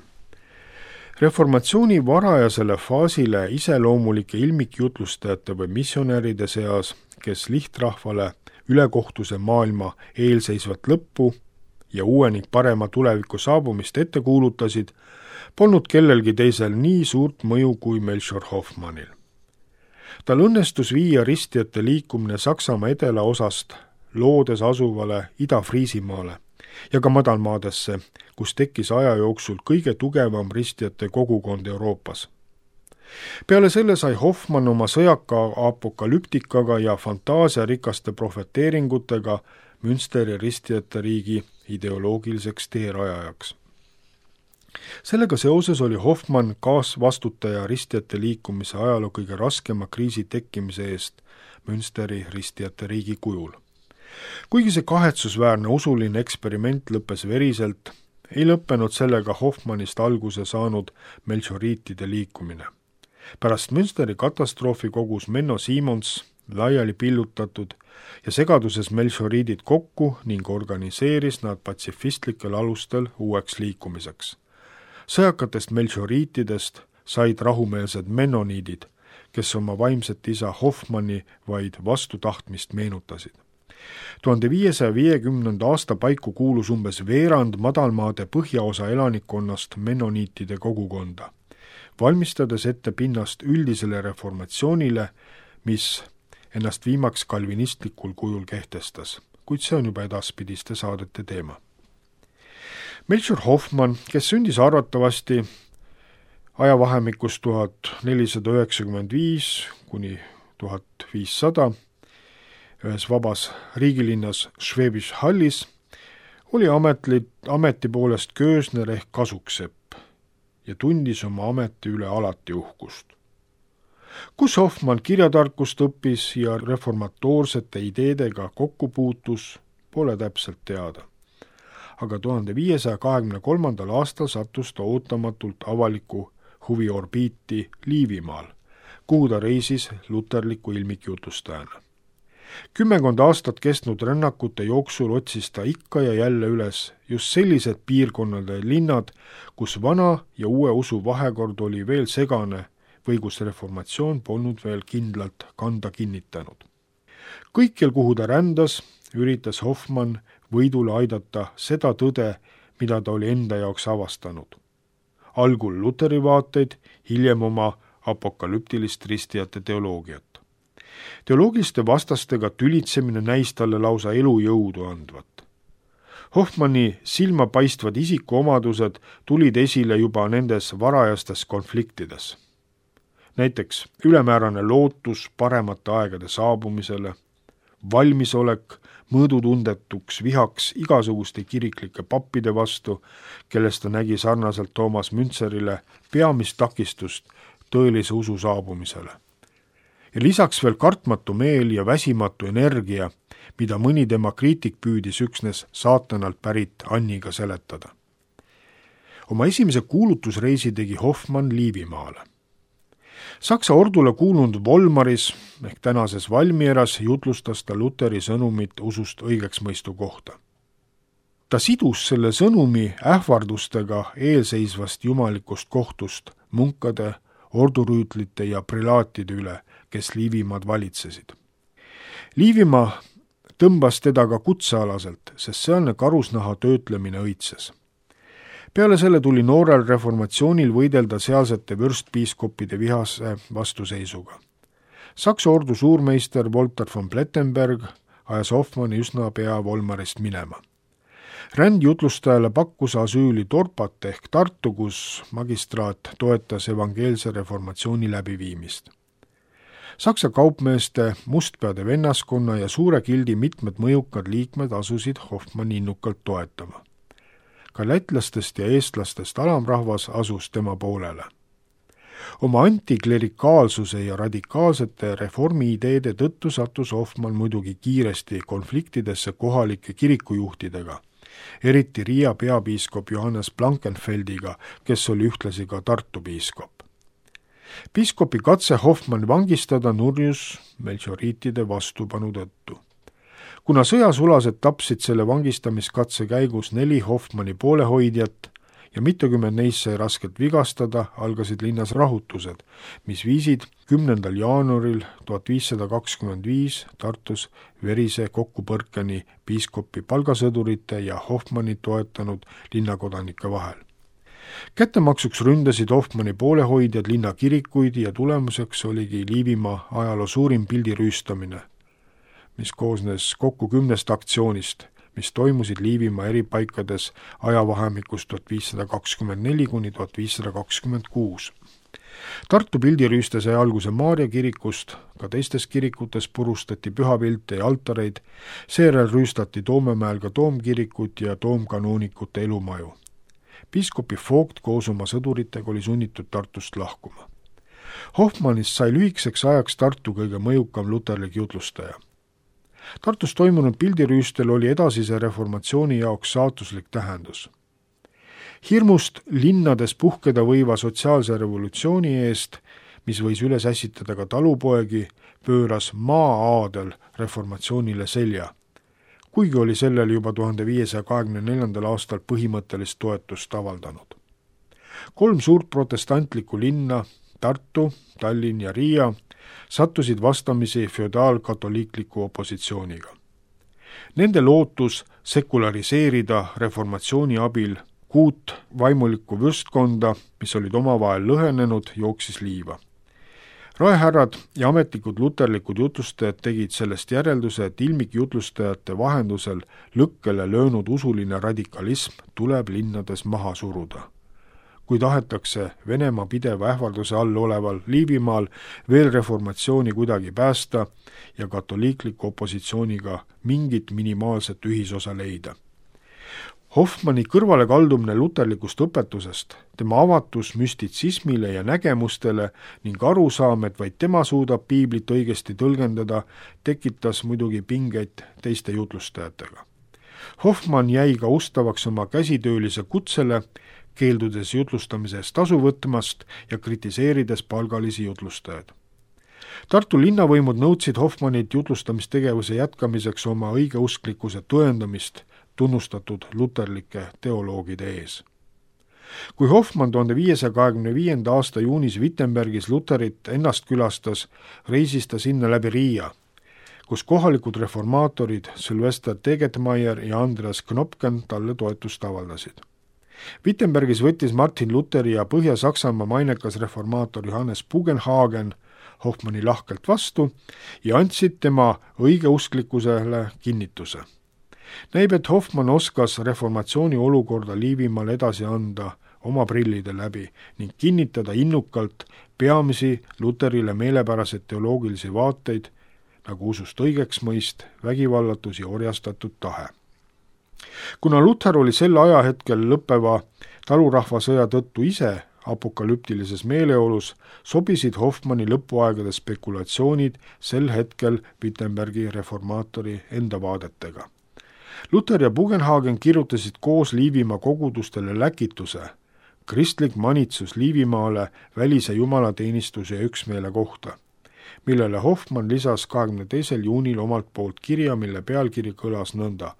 Reformatsiooni varajasele faasile iseloomulike ilmikjutlustajate või missionäride seas, kes lihtrahvale ülekohtuse maailma eelseisvat lõppu ja uue ning parema tuleviku saabumist ette kuulutasid, polnud kellelgi teisel nii suurt mõju kui Melchior Hoffmannil. Tal õnnestus viia ristijate liikumine Saksamaa edelaosast loodes asuvale Ida-Friisimaale ja ka madalmaadesse, kus tekkis aja jooksul kõige tugevam ristijate kogukond Euroopas. Peale selle sai Hoffmann oma sõjaka apokalüptikaga ja fantaasiarikaste profeteeringutega Münsteri ristijate riigi ideoloogiliseks teerajajaks. Sellega seoses oli Hoffmann kaasvastutaja ristijate liikumise ajaloo kõige raskema kriisi tekkimise eest Münsteri ristijate riigi kujul. Kuigi see kahetsusväärne usuline eksperiment lõppes veriselt, ei lõppenud sellega Hoffmannist alguse saanud melchioriitide liikumine. Pärast Münsteri katastroofi kogus Menno Simons laiali pillutatud ja segaduses melchioriidid kokku ning organiseeris nad patsifistlikel alustel uueks liikumiseks. Sõjakatest melchioriitidest said rahumeelsed mennoniidid, kes oma vaimset isa Hoffmanni vaid vastutahtmist meenutasid. 1550. aasta paiku kuulus umbes veerand madalmaade põhjaosa elanikkonnast mennoniitide kogukonda, valmistades ette pinnast üldisele reformatsioonile, mis ennast viimaks kalvinistlikul kujul kehtestas, kuid see on juba edaspidiste saadete teema. Melchior Hoffmann, kes sündis arvatavasti ajavahemikus 1495 kuni 1500 ühes vabas riigilinnas Schwäbisch Hallis, oli ameti poolest köösner ehk kasuksepp ja tundis oma ameti üle alati uhkust. Kus Hoffmann kirjatarkust õppis ja reformatoorsete ideedega kokku puutus, pole täpselt teada. Aga 1523. aastal sattus ta ootamatult avaliku huvi orbiiti Liivimaal, kuhu ta reisis luterliku ilmikjutustajana. 10 aastat kestnud rännakute jooksul otsis ta ikka ja jälle üles just sellised piirkonnad ja linnad, kus vana ja uue usu vahekord oli veel segane või kus reformatsioon polnud veel kindlalt kanda kinnitanud. Kõikjal, kuhu ta rändas, üritas Hoffmann võidule aidata seda tõde, mida ta oli enda jaoks avastanud. Algul luteri vaateid, hiljem oma apokalüptilist ristijate teoloogiat. Teoloogiliste vastastega tülitsemine näis talle lausa elujõudu andvat. Hoffmanni silmapaistvad isikuomadused tulid esile juba nendes varajastes konfliktides. Näiteks ülemäärane lootus paremate aegade saabumisele, valmisolek mõõdutundetuks vihaks igasuguste kiriklike pappide vastu, kellest ta nägi sarnaselt Toomas Müntzerile peamist takistust tõelise usu saabumisele. Ja lisaks veel kartmatu meel ja väsimatu energia, mida mõni tema kriitik püüdis üksnes saatanalt pärit Anniga seletada. Oma esimese kuulutusreisi tegi Hoffmann Liivimaale. Saksa ordule kuulunud Volmaris ehk tänases Valmieras jutlustas ta Luteri sõnumit usust õigeksmõistu kohta. Ta sidus selle sõnumi ähvardustega eelseisvast jumalikust kohtust munkade, ordurüütlite ja prelaatide üle, kes Liivimaad valitsesid. Liivimaa tõmbas teda ka kutsealaselt, sest sealne karusnaha töötlemine õitses. Peale selle tuli noorel reformatsioonil võidelda sealsete vürstpiiskoppide vihase vastuseisuga. Saksa ordu suurmeister Walter von Plettenberg ajas Hoffmanni üsna pea Volmarist minema. Rändjutlustajale pakkus asüüli Torpat ehk Tartu, kus magistraat toetas evangeelse reformatsiooni läbiviimist. Saksa kaupmeeste, mustpeade vennaskonna ja suure gildi mitmed mõjukad liikmed asusid Hoffmanni innukalt toetama. Ka lätlastest ja eestlastest alamrahvas asus tema poolele. Oma antiklerikaalsuse ja radikaalsete reformi-ideede tõttu sattus Hoffmann muidugi kiiresti konfliktidesse kohalike kirikujuhtidega, eriti Riia peapiiskop Johannes Blankenfeldiga, kes oli ühtlasi ka Tartu piiskop. Piiskopi katse Hoffmann vangistada nurjus melchioriitide vastupanu tõttu. Kuna sõjasulased tapsid selle vangistamiskatse käigus 4 Hoffmanni poolehoidjat ja mitukümmend neist sai raskelt vigastada, algasid linnas rahutused, mis viisid 10. jaanuaril 1525 Tartus verise kokkupõrkeni piiskopi palgasõdurite ja Hoffmanni toetanud linnakodanike vahel. Kättemaksuks ründasid Hoffmanni poolehoidjad linna kirikuid ja tulemuseks oligi Liivimaa ajaloo suurim pildirüüstamine, mis koosnes kokku 10 aktsioonist, mis toimusid Liivimaa eri paikades ajavahemikus 1524 kuni 1526. Tartu pildirüüste sai alguse Maarja kirikust, ka teistes kirikutes purustati pühapilte ja altareid, seejärel rüüstati Toomemäel ka toomkirikut ja toomkanoonikute elumaju. Piiskopi Vogt koos oma sõduritega oli sunnitud Tartust lahkuma. Hoffmannist sai lühikeseks ajaks Tartu kõige mõjukam luterlik jutlustaja. Tartus toimunud pildirüüstel oli edasise reformatsiooni jaoks saatuslik tähendus. Hirmust linnades puhkeda võiva sotsiaalse revolutsiooni eest, mis võis üles ässitada ka talupoegi, pööras maa-aadel reformatsioonile selja, kuigi oli sellel juba 1524. aastal põhimõttelist toetust avaldanud. 3 suurt protestantlikku linna, Tartu, Tallinn ja Riia, sattusid vastamisi feodaalkatoliikliku opositsiooniga. Nende lootus sekulariseerida reformatsiooni abil 6 vaimulikku vürstkonda, mis olid omavahel lõhenenud, jooksis liiva. Raehärrad ja ametlikud luterlikud jutlustajad tegid sellest järelduse, et ilmikjutlustajate vahendusel lõkkele löönud usuline radikalism tuleb linnades maha suruda. Kui tahetakse Venemaa pideva ähvarduse all oleval Liivimaal veel reformatsiooni kuidagi päästa ja katoliikliku opositsiooniga mingit minimaalset ühisosa leida. Hoffmanni kõrvalekaldumine luterlikust õpetusest, tema avatus müstitsismile ja nägemustele ning arusaam, et vaid tema suudab piiblit õigesti tõlgendada, tekitas muidugi pingeid teiste jutlustajatega. Hoffmann jäi ka ustavaks oma käsitöölise kutsele, keeldudes jutlustamise eest tasu võtmast ja kritiseerides palgalisi jutlustajaid. Tartu linnavõimud nõudsid Hoffmannilt jutlustamistegevuse jätkamiseks oma õigeusklikkuse tõendamist tunnustatud luterlike teoloogide ees. Kui Hoffmann 1525. aasta juunis Wittenbergis Luterit ennast külastas, reisis ta sinna läbi Riia, kus kohalikud reformaatorid Sylvester Tegetmeier ja Andreas Knopken talle toetust avaldasid. Wittenbergis võttis Martin Luteri ja Põhja-Saksamaa mainekas reformaator Johannes Bugenhagen Hoffmanni lahkelt vastu ja andsid tema õigeusklikkusele kinnituse. Näib, et Hoffmann oskas reformatsiooni olukorda Liivimaal edasi anda oma prillide läbi ning kinnitada innukalt peamisi Luterile meelepäraseid teoloogilisi vaateid, nagu usust õigeksmõist, vägivallatus ja orjastatud tahe. Kuna Luther oli sel ajahetkel lõppeva talurahvasõja tõttu ise apokalüptilises meeleolus, sobisid Hoffmanni lõpuaegade spekulatsioonid sel hetkel Wittenbergi reformaatori enda vaadetega. Luther ja Bugenhagen kirjutasid koos Liivimaa kogudustele läkituse, kristlik manitsus Liivimaale välise jumalateenistuse ja üksmeele kohta, millele Hoffmann lisas 22. juunil omalt poolt kirja, mille pealkiri kõlas nõnda: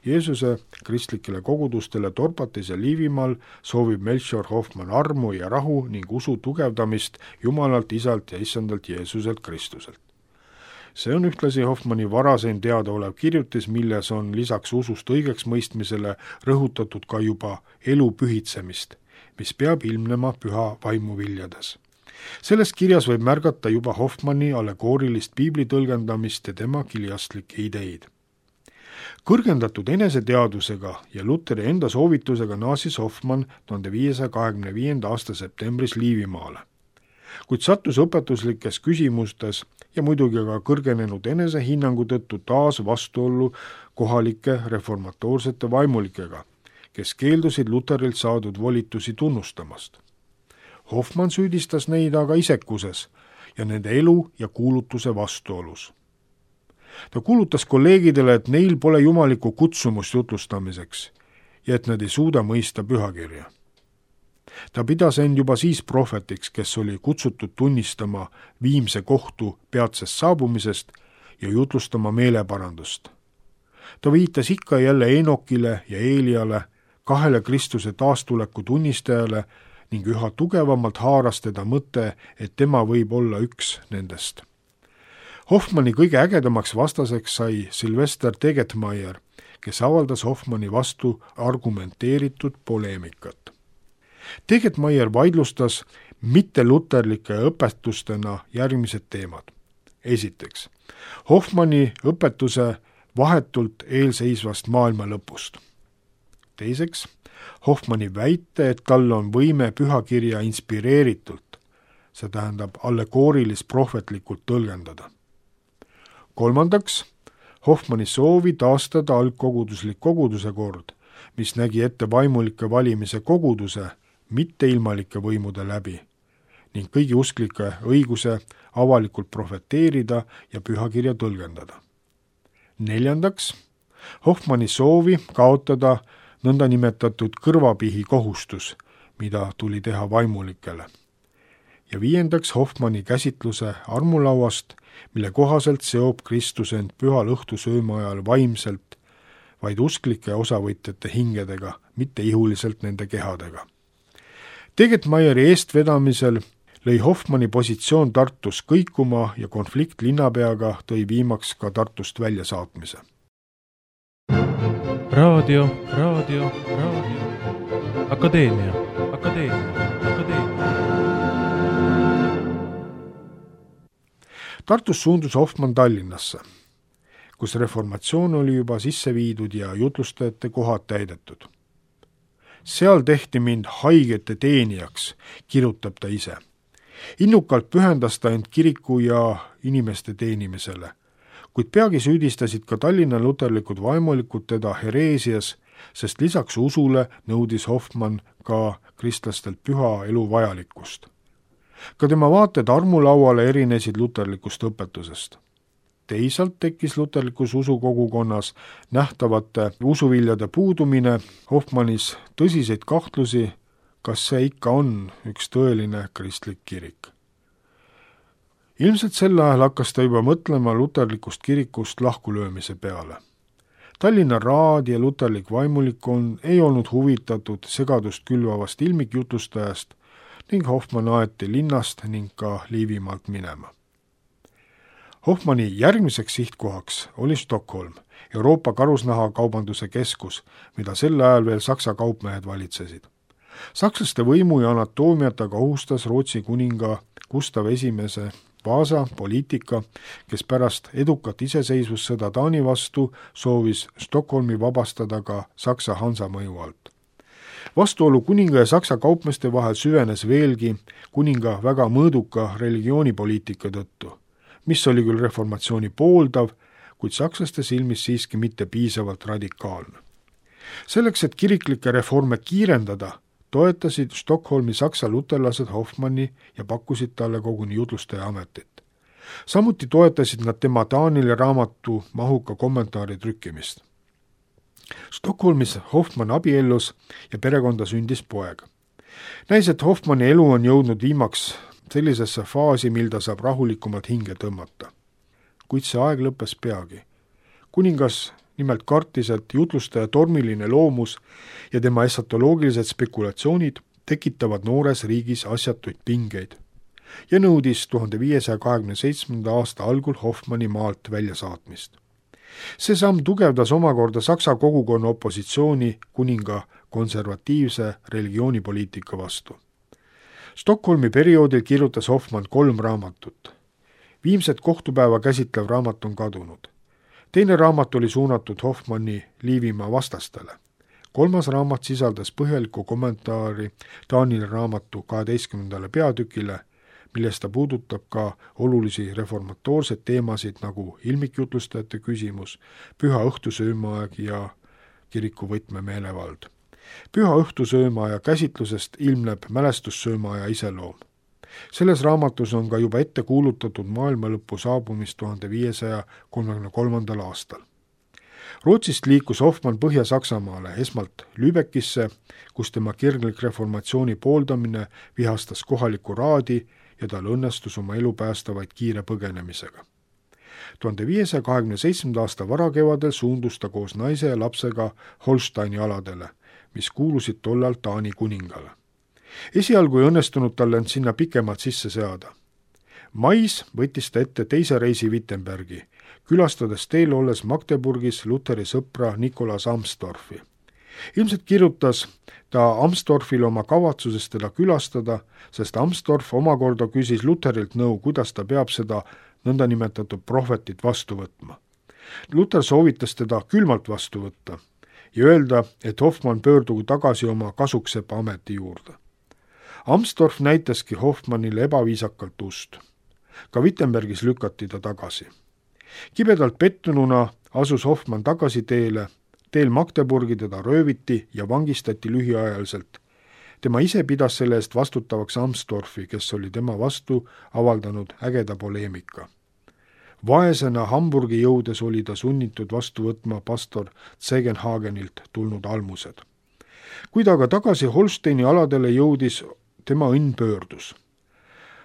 Jeesuse kristlikele kogudustele Torpatis ja Liivimaal soovib Melchior Hoffmann armu ja rahu ning usu tugevdamist Jumalalt, Isalt ja Issandalt Jeesuselt Kristuselt. See on ühtlasi Hoffmanni varaseim teadaolev kirjutis, milles on lisaks usust õigeksmõistmisele rõhutatud ka juba elu pühitsemist, mis peab ilmnema püha vaimu viljades. Selles kirjas võib märgata juba Hoffmanni allegoorilist piibli tõlgendamist ja tema kiliastlikke ideid. Kõrgendatud eneseteadusega ja Luteri enda soovitusega naasis Hoffmann 1525. aasta septembris Liivimaale, kuid sattus õpetuslikes küsimustes ja muidugi ka kõrgenenud enesehinnangu tõttu taas vastuollu kohalike reformatoorsete vaimulikega, kes keeldusid Luterilt saadud volitusi tunnustamast. Hoffmann süüdistas neid aga isekuses ja nende elu ja kuulutuse vastuolus. Ta kuulutas kolleegidele, et neil pole jumalikku kutsumust jutlustamiseks ja et nad ei suuda mõista pühakirja. Ta pidas end juba siis prohvetiks, kes oli kutsutud tunnistama viimse kohtu peatsest saabumisest ja jutlustama meeleparandust. Ta viitas ikka jälle Enokile ja Eeliale, 2 Kristuse taastuleku tunnistajale ning üha tugevamalt haaras teda mõte, et tema võib olla üks nendest. Hoffmanni kõige ägedamaks vastaseks sai Sylvester Tegetmeier, kes avaldas Hoffmanni vastu argumenteeritud poleemikat. Tegetmeier vaidlustas mitteluterlike õpetustena järgmised teemad. Esiteks, Hoffmanni õpetuse vahetult eelseisvast maailma lõpust. Teiseks, Hoffmanni väite, et tal on võime pühakirja inspireeritult, see tähendab allegoorilis-prohvetlikult tõlgendada. Kolmandaks, Hoffmanni soovi taastada algkoguduslik koguduse kord, mis nägi ette vaimulike valimise koguduse mitte ilmalike võimude läbi ning kõigi usklike õiguse avalikult profeteerida ja pühakirja tõlgendada. Neljandaks, Hoffmanni soovi kaotada nõndanimetatud kõrvapihi kohustus, mida tuli teha vaimulikele. Ja viiendaks, Hoffmanni käsitluse armulauast, mille kohaselt seob Kristus end pühal õhtusööma ajal vaimselt vaid usklike osavõtjate hingedega, mitte ihuliselt nende kehadega. Tegetmeieri eestvedamisel lõi Hoffmanni positsioon Tartus kõikuma ja konflikt linnapeaga tõi viimaks ka Tartust väljasaatmise. Raadio. Akadeemia. Tartus suundus Hoffmann Tallinnasse, kus reformatsioon oli juba sisse viidud ja jutlustajate kohad täidetud. Seal tehti mind haigete teenijaks, kirjutab ta ise. Innukalt pühendas ta end kiriku ja inimeste teenimisele, kuid peagi süüdistasid ka Tallinna luterlikud vaimulikud teda hereesias, sest lisaks usule nõudis Hoffmann ka kristlastelt püha elu vajalikkust. Ka tema vaated armulauale erinesid luterlikust õpetusest. Teisalt tekkis luterlikus usukogukonnas nähtavate usuviljade puudumine, Hoffmannis tõsiseid kahtlusi, kas see ikka on üks tõeline kristlik kirik. Ilmselt sel ajal hakkas ta juba mõtlema luterlikust kirikust lahkulöömise peale. Tallinna raad ja luterlik vaimulikon ei olnud huvitatud segadust külvavast ilmikjutlustajast ning Hoffmann aeti linnast ning ka Liivimaalt minema. Hoffmanni järgmiseks sihtkohaks oli Stockholm, Euroopa karusnahakaubanduse keskus, mida sel ajal veel Saksa kaupmehed valitsesid. Sakslaste võimu ja anatoomiat aga ohustas Rootsi kuninga Gustav I Vasa poliitika, kes pärast edukat iseseisvussõda Taani vastu soovis Stockholmi vabastada ka Saksa Hansa mõju alt. Vastuolu kuninga ja Saksa kaupmeeste vahel süvenes veelgi kuninga väga mõõduka religioonipoliitika tõttu, mis oli küll reformatsiooni pooldav, kuid sakslaste silmis siiski mitte piisavalt radikaalne. Selleks, et kiriklikke reforme kiirendada, toetasid Stockholmi saksa luterlased Hoffmanni ja pakkusid talle koguni jutlustaja ametit. Samuti toetasid nad tema Taanile raamatu mahuka kommentaari trükkimist. Stockholmis Hoffmann abiellus ja perekonda sündis poeg. Näis, et Hoffmanni elu on jõudnud viimaks sellisesse faasi, mil ta saab rahulikumalt hinge tõmmata. Kuid see aeg lõppes peagi. Kuningas nimelt kartis, et jutlustaja tormiline loomus ja tema esatoloogilised spekulatsioonid tekitavad noores riigis asjatuid pingeid ja nõudis 1527. aasta algul Hoffmanni maalt väljasaatmist. See samm tugevdas omakorda Saksa kogukonna opositsiooni kuninga konservatiivse religioonipoliitika vastu. Stockholmi perioodil kirjutas Hoffmann 3 raamatut. Viimset kohtupäeva käsitlev raamat on kadunud. Teine raamat oli suunatud Hoffmanni Liivimaa vastastele. 3. raamat sisaldas põhjalikku kommentaari Taanile raamatu 12. peatükile, milles ta puudutab ka olulisi reformatoorseid teemasid nagu ilmikjutlustajate küsimus, püha õhtusöömaaeg ja kiriku võtmemeelevald. Püha õhtusöömaaja käsitlusest ilmneb mälestussöömaaja iseloom. Selles raamatus on ka juba ette kuulutatud maailmalõpu saabumist 1533. aastal. Rootsist liikus Hoffmann Põhja-Saksamaale, esmalt Lübeckisse, kus tema kirglik reformatsiooni pooldamine vihastas kohalikku raadi ja tal õnnestus oma elu päästa vaid kiire põgenemisega. 1527. aasta varakevadel suundus ta koos naise ja lapsega Holsteini aladele, mis kuulusid tollal Taani kuningale. Esialgu ei õnnestunud talle end sinna pikemalt sisse seada. Mais võttis ta ette teise reisi Wittenbergi, külastades teel olles Magdeburgis Luteri sõpra Nikolaus Amsdorfi. Ilmselt kirjutas ta Amsdorfile oma kavatsusest teda külastada, sest Amsdorf omakorda küsis Luterilt nõu, kuidas ta peab seda nõndanimetatud prohvetit vastu võtma. Luther soovitas teda külmalt vastu võtta ja öelda, et Hoffmann pöördugu tagasi oma kasuksepa ameti juurde. Amsdorf näitaski Hoffmannile ebaviisakalt ust. Ka Wittenbergis lükati ta tagasi. Kibedalt pettununa asus Hoffmann tagasi teel Magdeburgi teda rööviti ja vangistati lühiajaliselt. Tema ise pidas selle eest vastutavaks Amsdorfi, kes oli tema vastu avaldanud ägeda poleemika. Vaesena Hamburgi jõudes oli ta sunnitud vastu võtma pastor Zegenhagenilt tulnud almused. Kui ta aga tagasi Holsteini aladele jõudis, tema õnn pöördus.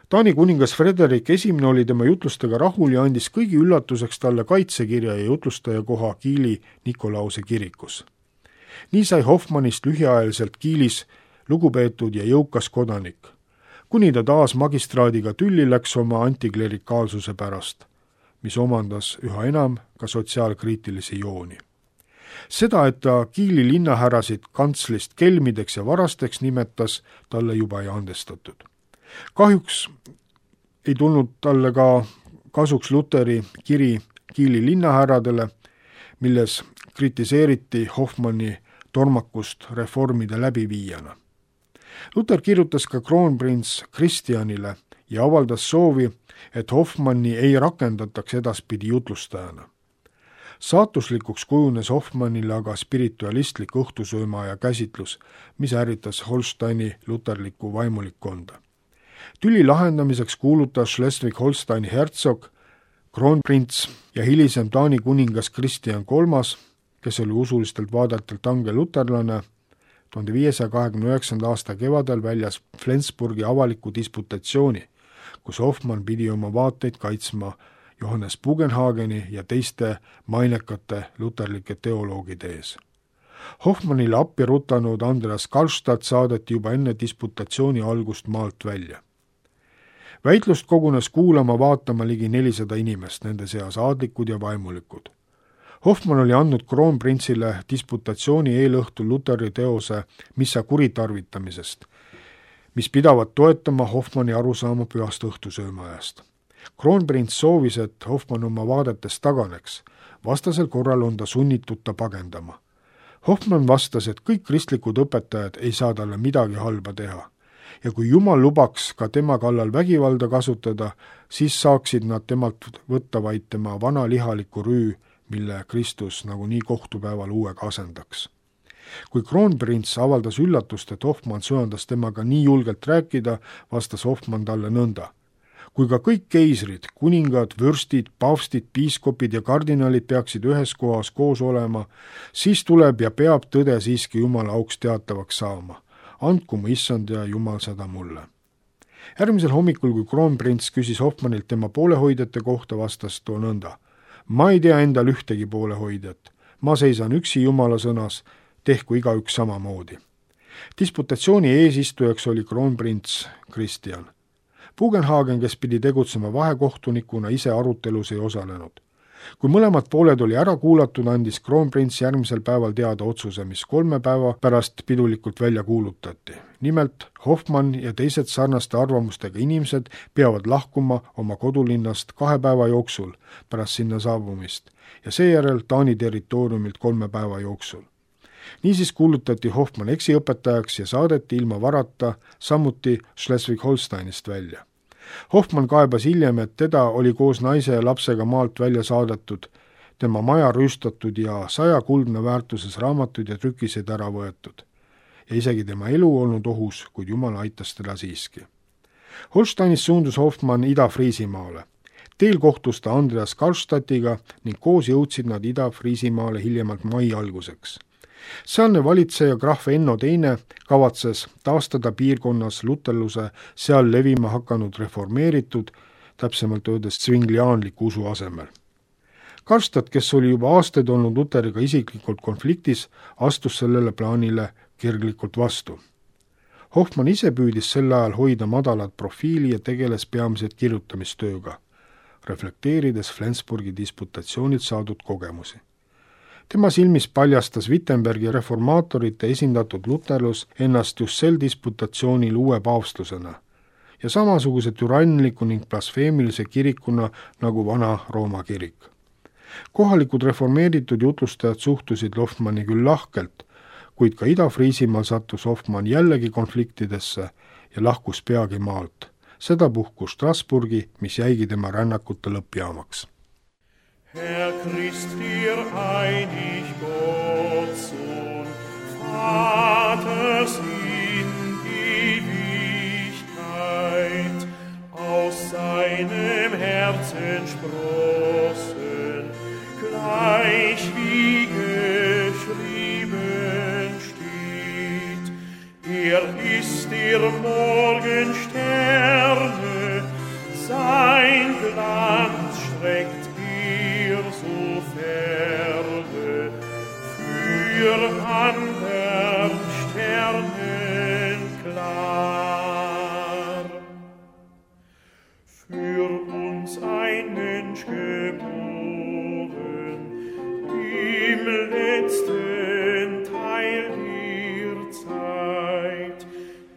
Taani kuningas Frederik I oli tema jutlustega rahul ja andis kõigi üllatuseks talle kaitsekirja ja jutlustaja koha Kiili Nikolause kirikus. Nii sai Hoffmannist lühiajaliselt Kiilis lugupeetud ja jõukas kodanik, kuni ta taas magistraadiga tülli läks oma antiklerikaalsuse pärast, mis omandas üha enam ka sotsiaalkriitilisi jooni. Seda, et ta Kiili linnahärrasid kantslist kelmideks ja varasteks nimetas, talle juba ei andestatud. Kahjuks ei tulnud talle ka kasuks Luteri kiri Kiili linnahärradele, milles kritiseeriti Hoffmanni tormakust reformide läbiviijana. Luther kirjutas ka kroonprints Christianile ja avaldas soovi, et Hoffmanni ei rakendataks edaspidi jutlustajana. Saatuslikuks kujunes Hoffmannile aga spiritualistlik õhtusöömaaja käsitlus, mis ärritas Holsteini luterlikku vaimulikkonda. Tüli lahendamiseks kuulutas Schleswig-Holsteini hertsog, kroonprints ja hilisem Taani kuningas Christian III, kes oli usulistelt vaadetelt ange luterlane, 1529. aasta kevadel väljas Flensburgi avaliku disputatsiooni, kus Hoffmann pidi oma vaateid kaitsma Johannes Bugenhageni ja teiste mainekate luterlike teoloogide ees. Hoffmannile appi rutanud Andreas Karlstadt saadeti juba enne disputatsiooni algust maalt välja. Väitlust kogunes kuulama-vaatama ligi 400 inimest, nende seas aadlikud ja vaimulikud. Hoffmann oli andnud kroonprintsile disputatsiooni eelõhtul Luteri teose missa kuritarvitamisest, mis pidavat toetama Hoffmanni arusaama pühast õhtusöömaajast. Kroonprints soovis, et Hoffmann oma vaadetest taganeks, vastasel korral on ta sunnitud ta pagendama. Hoffmann vastas, et kõik kristlikud õpetajad ei saa talle midagi halba teha ja kui Jumal lubaks ka tema kallal vägivalda kasutada, siis saaksid nad temalt võtta vaid tema vana lihaliku rüü, mille Kristus nagunii kohtupäeval uuega asendaks. Kui kroonprints avaldas üllatust, et Hoffmann söandas temaga nii julgelt rääkida, vastas Hoffmann talle nõnda. Kui ka kõik keisrid, kuningad, vürstid, paavstid, piiskopid ja kardinalid peaksid ühes kohas koos olema, siis tuleb ja peab tõde siiski Jumala auks teatavaks saama. Andku mu issand ja Jumal seda mulle. Järgmisel hommikul, kui kroonprints küsis Hoffmannilt tema poolehoidjate kohta, vastas too nõnda. Ma ei tea endal ühtegi poolehoidjat. Ma seisan üksi Jumala sõnas, tehku igaüks samamoodi. Disputatsiooni eesistujaks oli kroonprints Christian. Bugenhagen, kes pidi tegutsema vahekohtunikuna, ise arutelus ei osalenud. Kui mõlemad pooled oli ära kuulatud, andis kroonprints järgmisel päeval teada otsuse, mis 3 päeva pärast pidulikult välja kuulutati. Nimelt, Hoffmann ja teised sarnaste arvamustega inimesed peavad lahkuma oma kodulinnast 2 päeva jooksul pärast sinna saabumist ja seejärel Taani territooriumilt 3 päeva jooksul. Niisiis kuulutati Hoffmann eksiõpetajaks ja saadeti ilma varata samuti Schleswig-Holsteinist välja. Hoffmann kaebas hiljem, et teda oli koos naise ja lapsega maalt välja saadetud, tema maja rüüstatud ja 100 kuldne väärtuses raamatuid ja trükiseid ära võetud. Ja isegi tema elu olnud ohus, kuid Jumal aitas teda siiski. Holsteinis suundus Hoffmann Ida-Friisimaale. Teel kohtus ta Andreas Karlstadtiga ning koos jõudsid nad Ida-Friisimaale hiljemalt mai alguseks. Sealne valitseja Graf Enno II kavatses taastada piirkonnas luterluse seal levima hakanud reformeeritud, täpsemalt öeldes svingliaanliku usu asemel. Karlstadt, kes oli juba aastaid olnud Luteriga isiklikult konfliktis, astus sellele plaanile kirglikult vastu. Hoffmann ise püüdis sel ajal hoida madalat profiili ja tegeles peamiselt kirjutamistööga, reflekteerides Flensburgi disputatsioonilt saadud kogemusi. Tema silmis paljastas Wittenbergi reformaatorite esindatud luterlus ennast just sel disputatsioonil uue paavstlusena ja samasuguse türannliku ning blasfeemilise kirikuna nagu vana Rooma kirik. Kohalikud reformeeritud jutlustajad suhtusid Hoffmanni küll lahkelt, kuid ka Ida-Friisimaal sattus Hoffmann jällegi konfliktidesse ja lahkus peagi maalt. Seda puhkus Strasburgi, mis jäigi tema rännakute lõppjaamaks. Herr Christ, dir einig Gott, Sohn, Vaters in Ewigkeit, aus seinem Herzen sprossen, gleich wie geschrieben steht. Ist der Morgensterne, sein Glanz streckt so ferne, für andern Sternen klar. Für uns ein Mensch geboren, im letzten Teil der Zeit,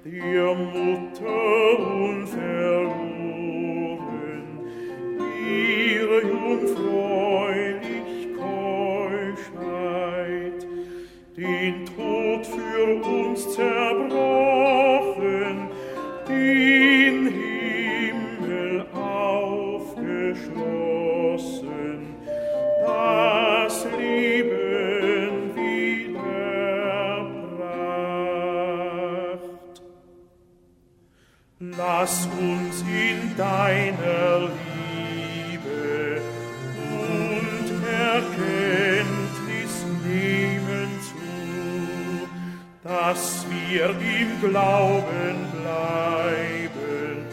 der Mutter unverloren, ihre jungfräulich Keuschheit, den Tod für uns zerbrochen, den Himmel aufgeschlossen, das Leben wiederbracht. Lass uns in deiner Liebe und Erkenntnis nehmen zu, dass wir im Glauben bleiben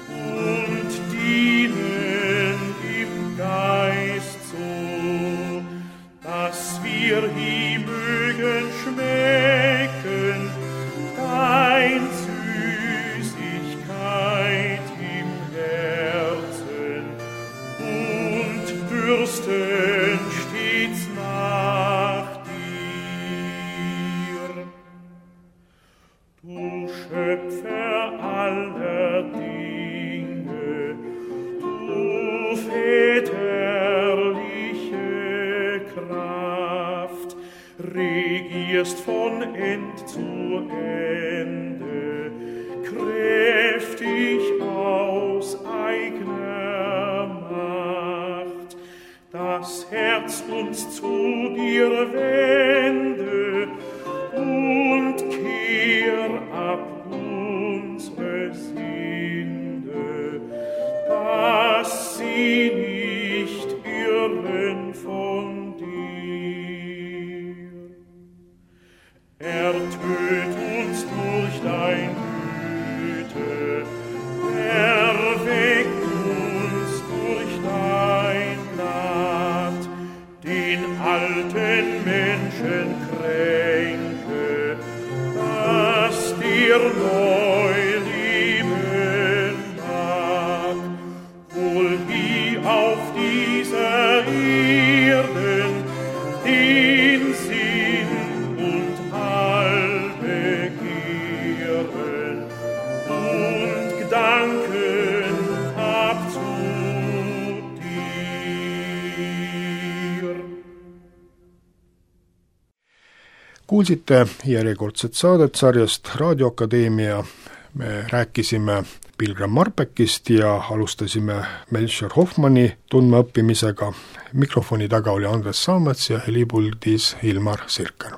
und dienen im Geist so, dass wir ihm mögen schmecken, dein Süßigkeit im Herzen und dürsten stets nach dir. Du Schöpfer aller Dinge, du väterliche Kraft, regierst von End zu Ende, kräftig aus eigener Macht, das Herz uns zu dir wende und kehr ab unsere Sünde, dass sie nicht irren von dir. Ertöt uns durch dein Güte, erweck uns durch dein Gnad, den alten Menschen kränke, dass dir neu leben mag, wohl wie auf dieser Erden den Sinn und all Begehren und Gedanken hab zu dir. Kuulsite järjekordset saadet sarjast Raadioakadeemia. Me rääkisime Pilgram Marpeckist ja alustasime Melchior Hoffmanni tundmaõppimisega. Mikrofoni taga oli Andres Saamets ja helipuldis Ilmar Sirker.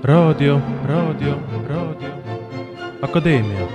Raadio, Akadeemia.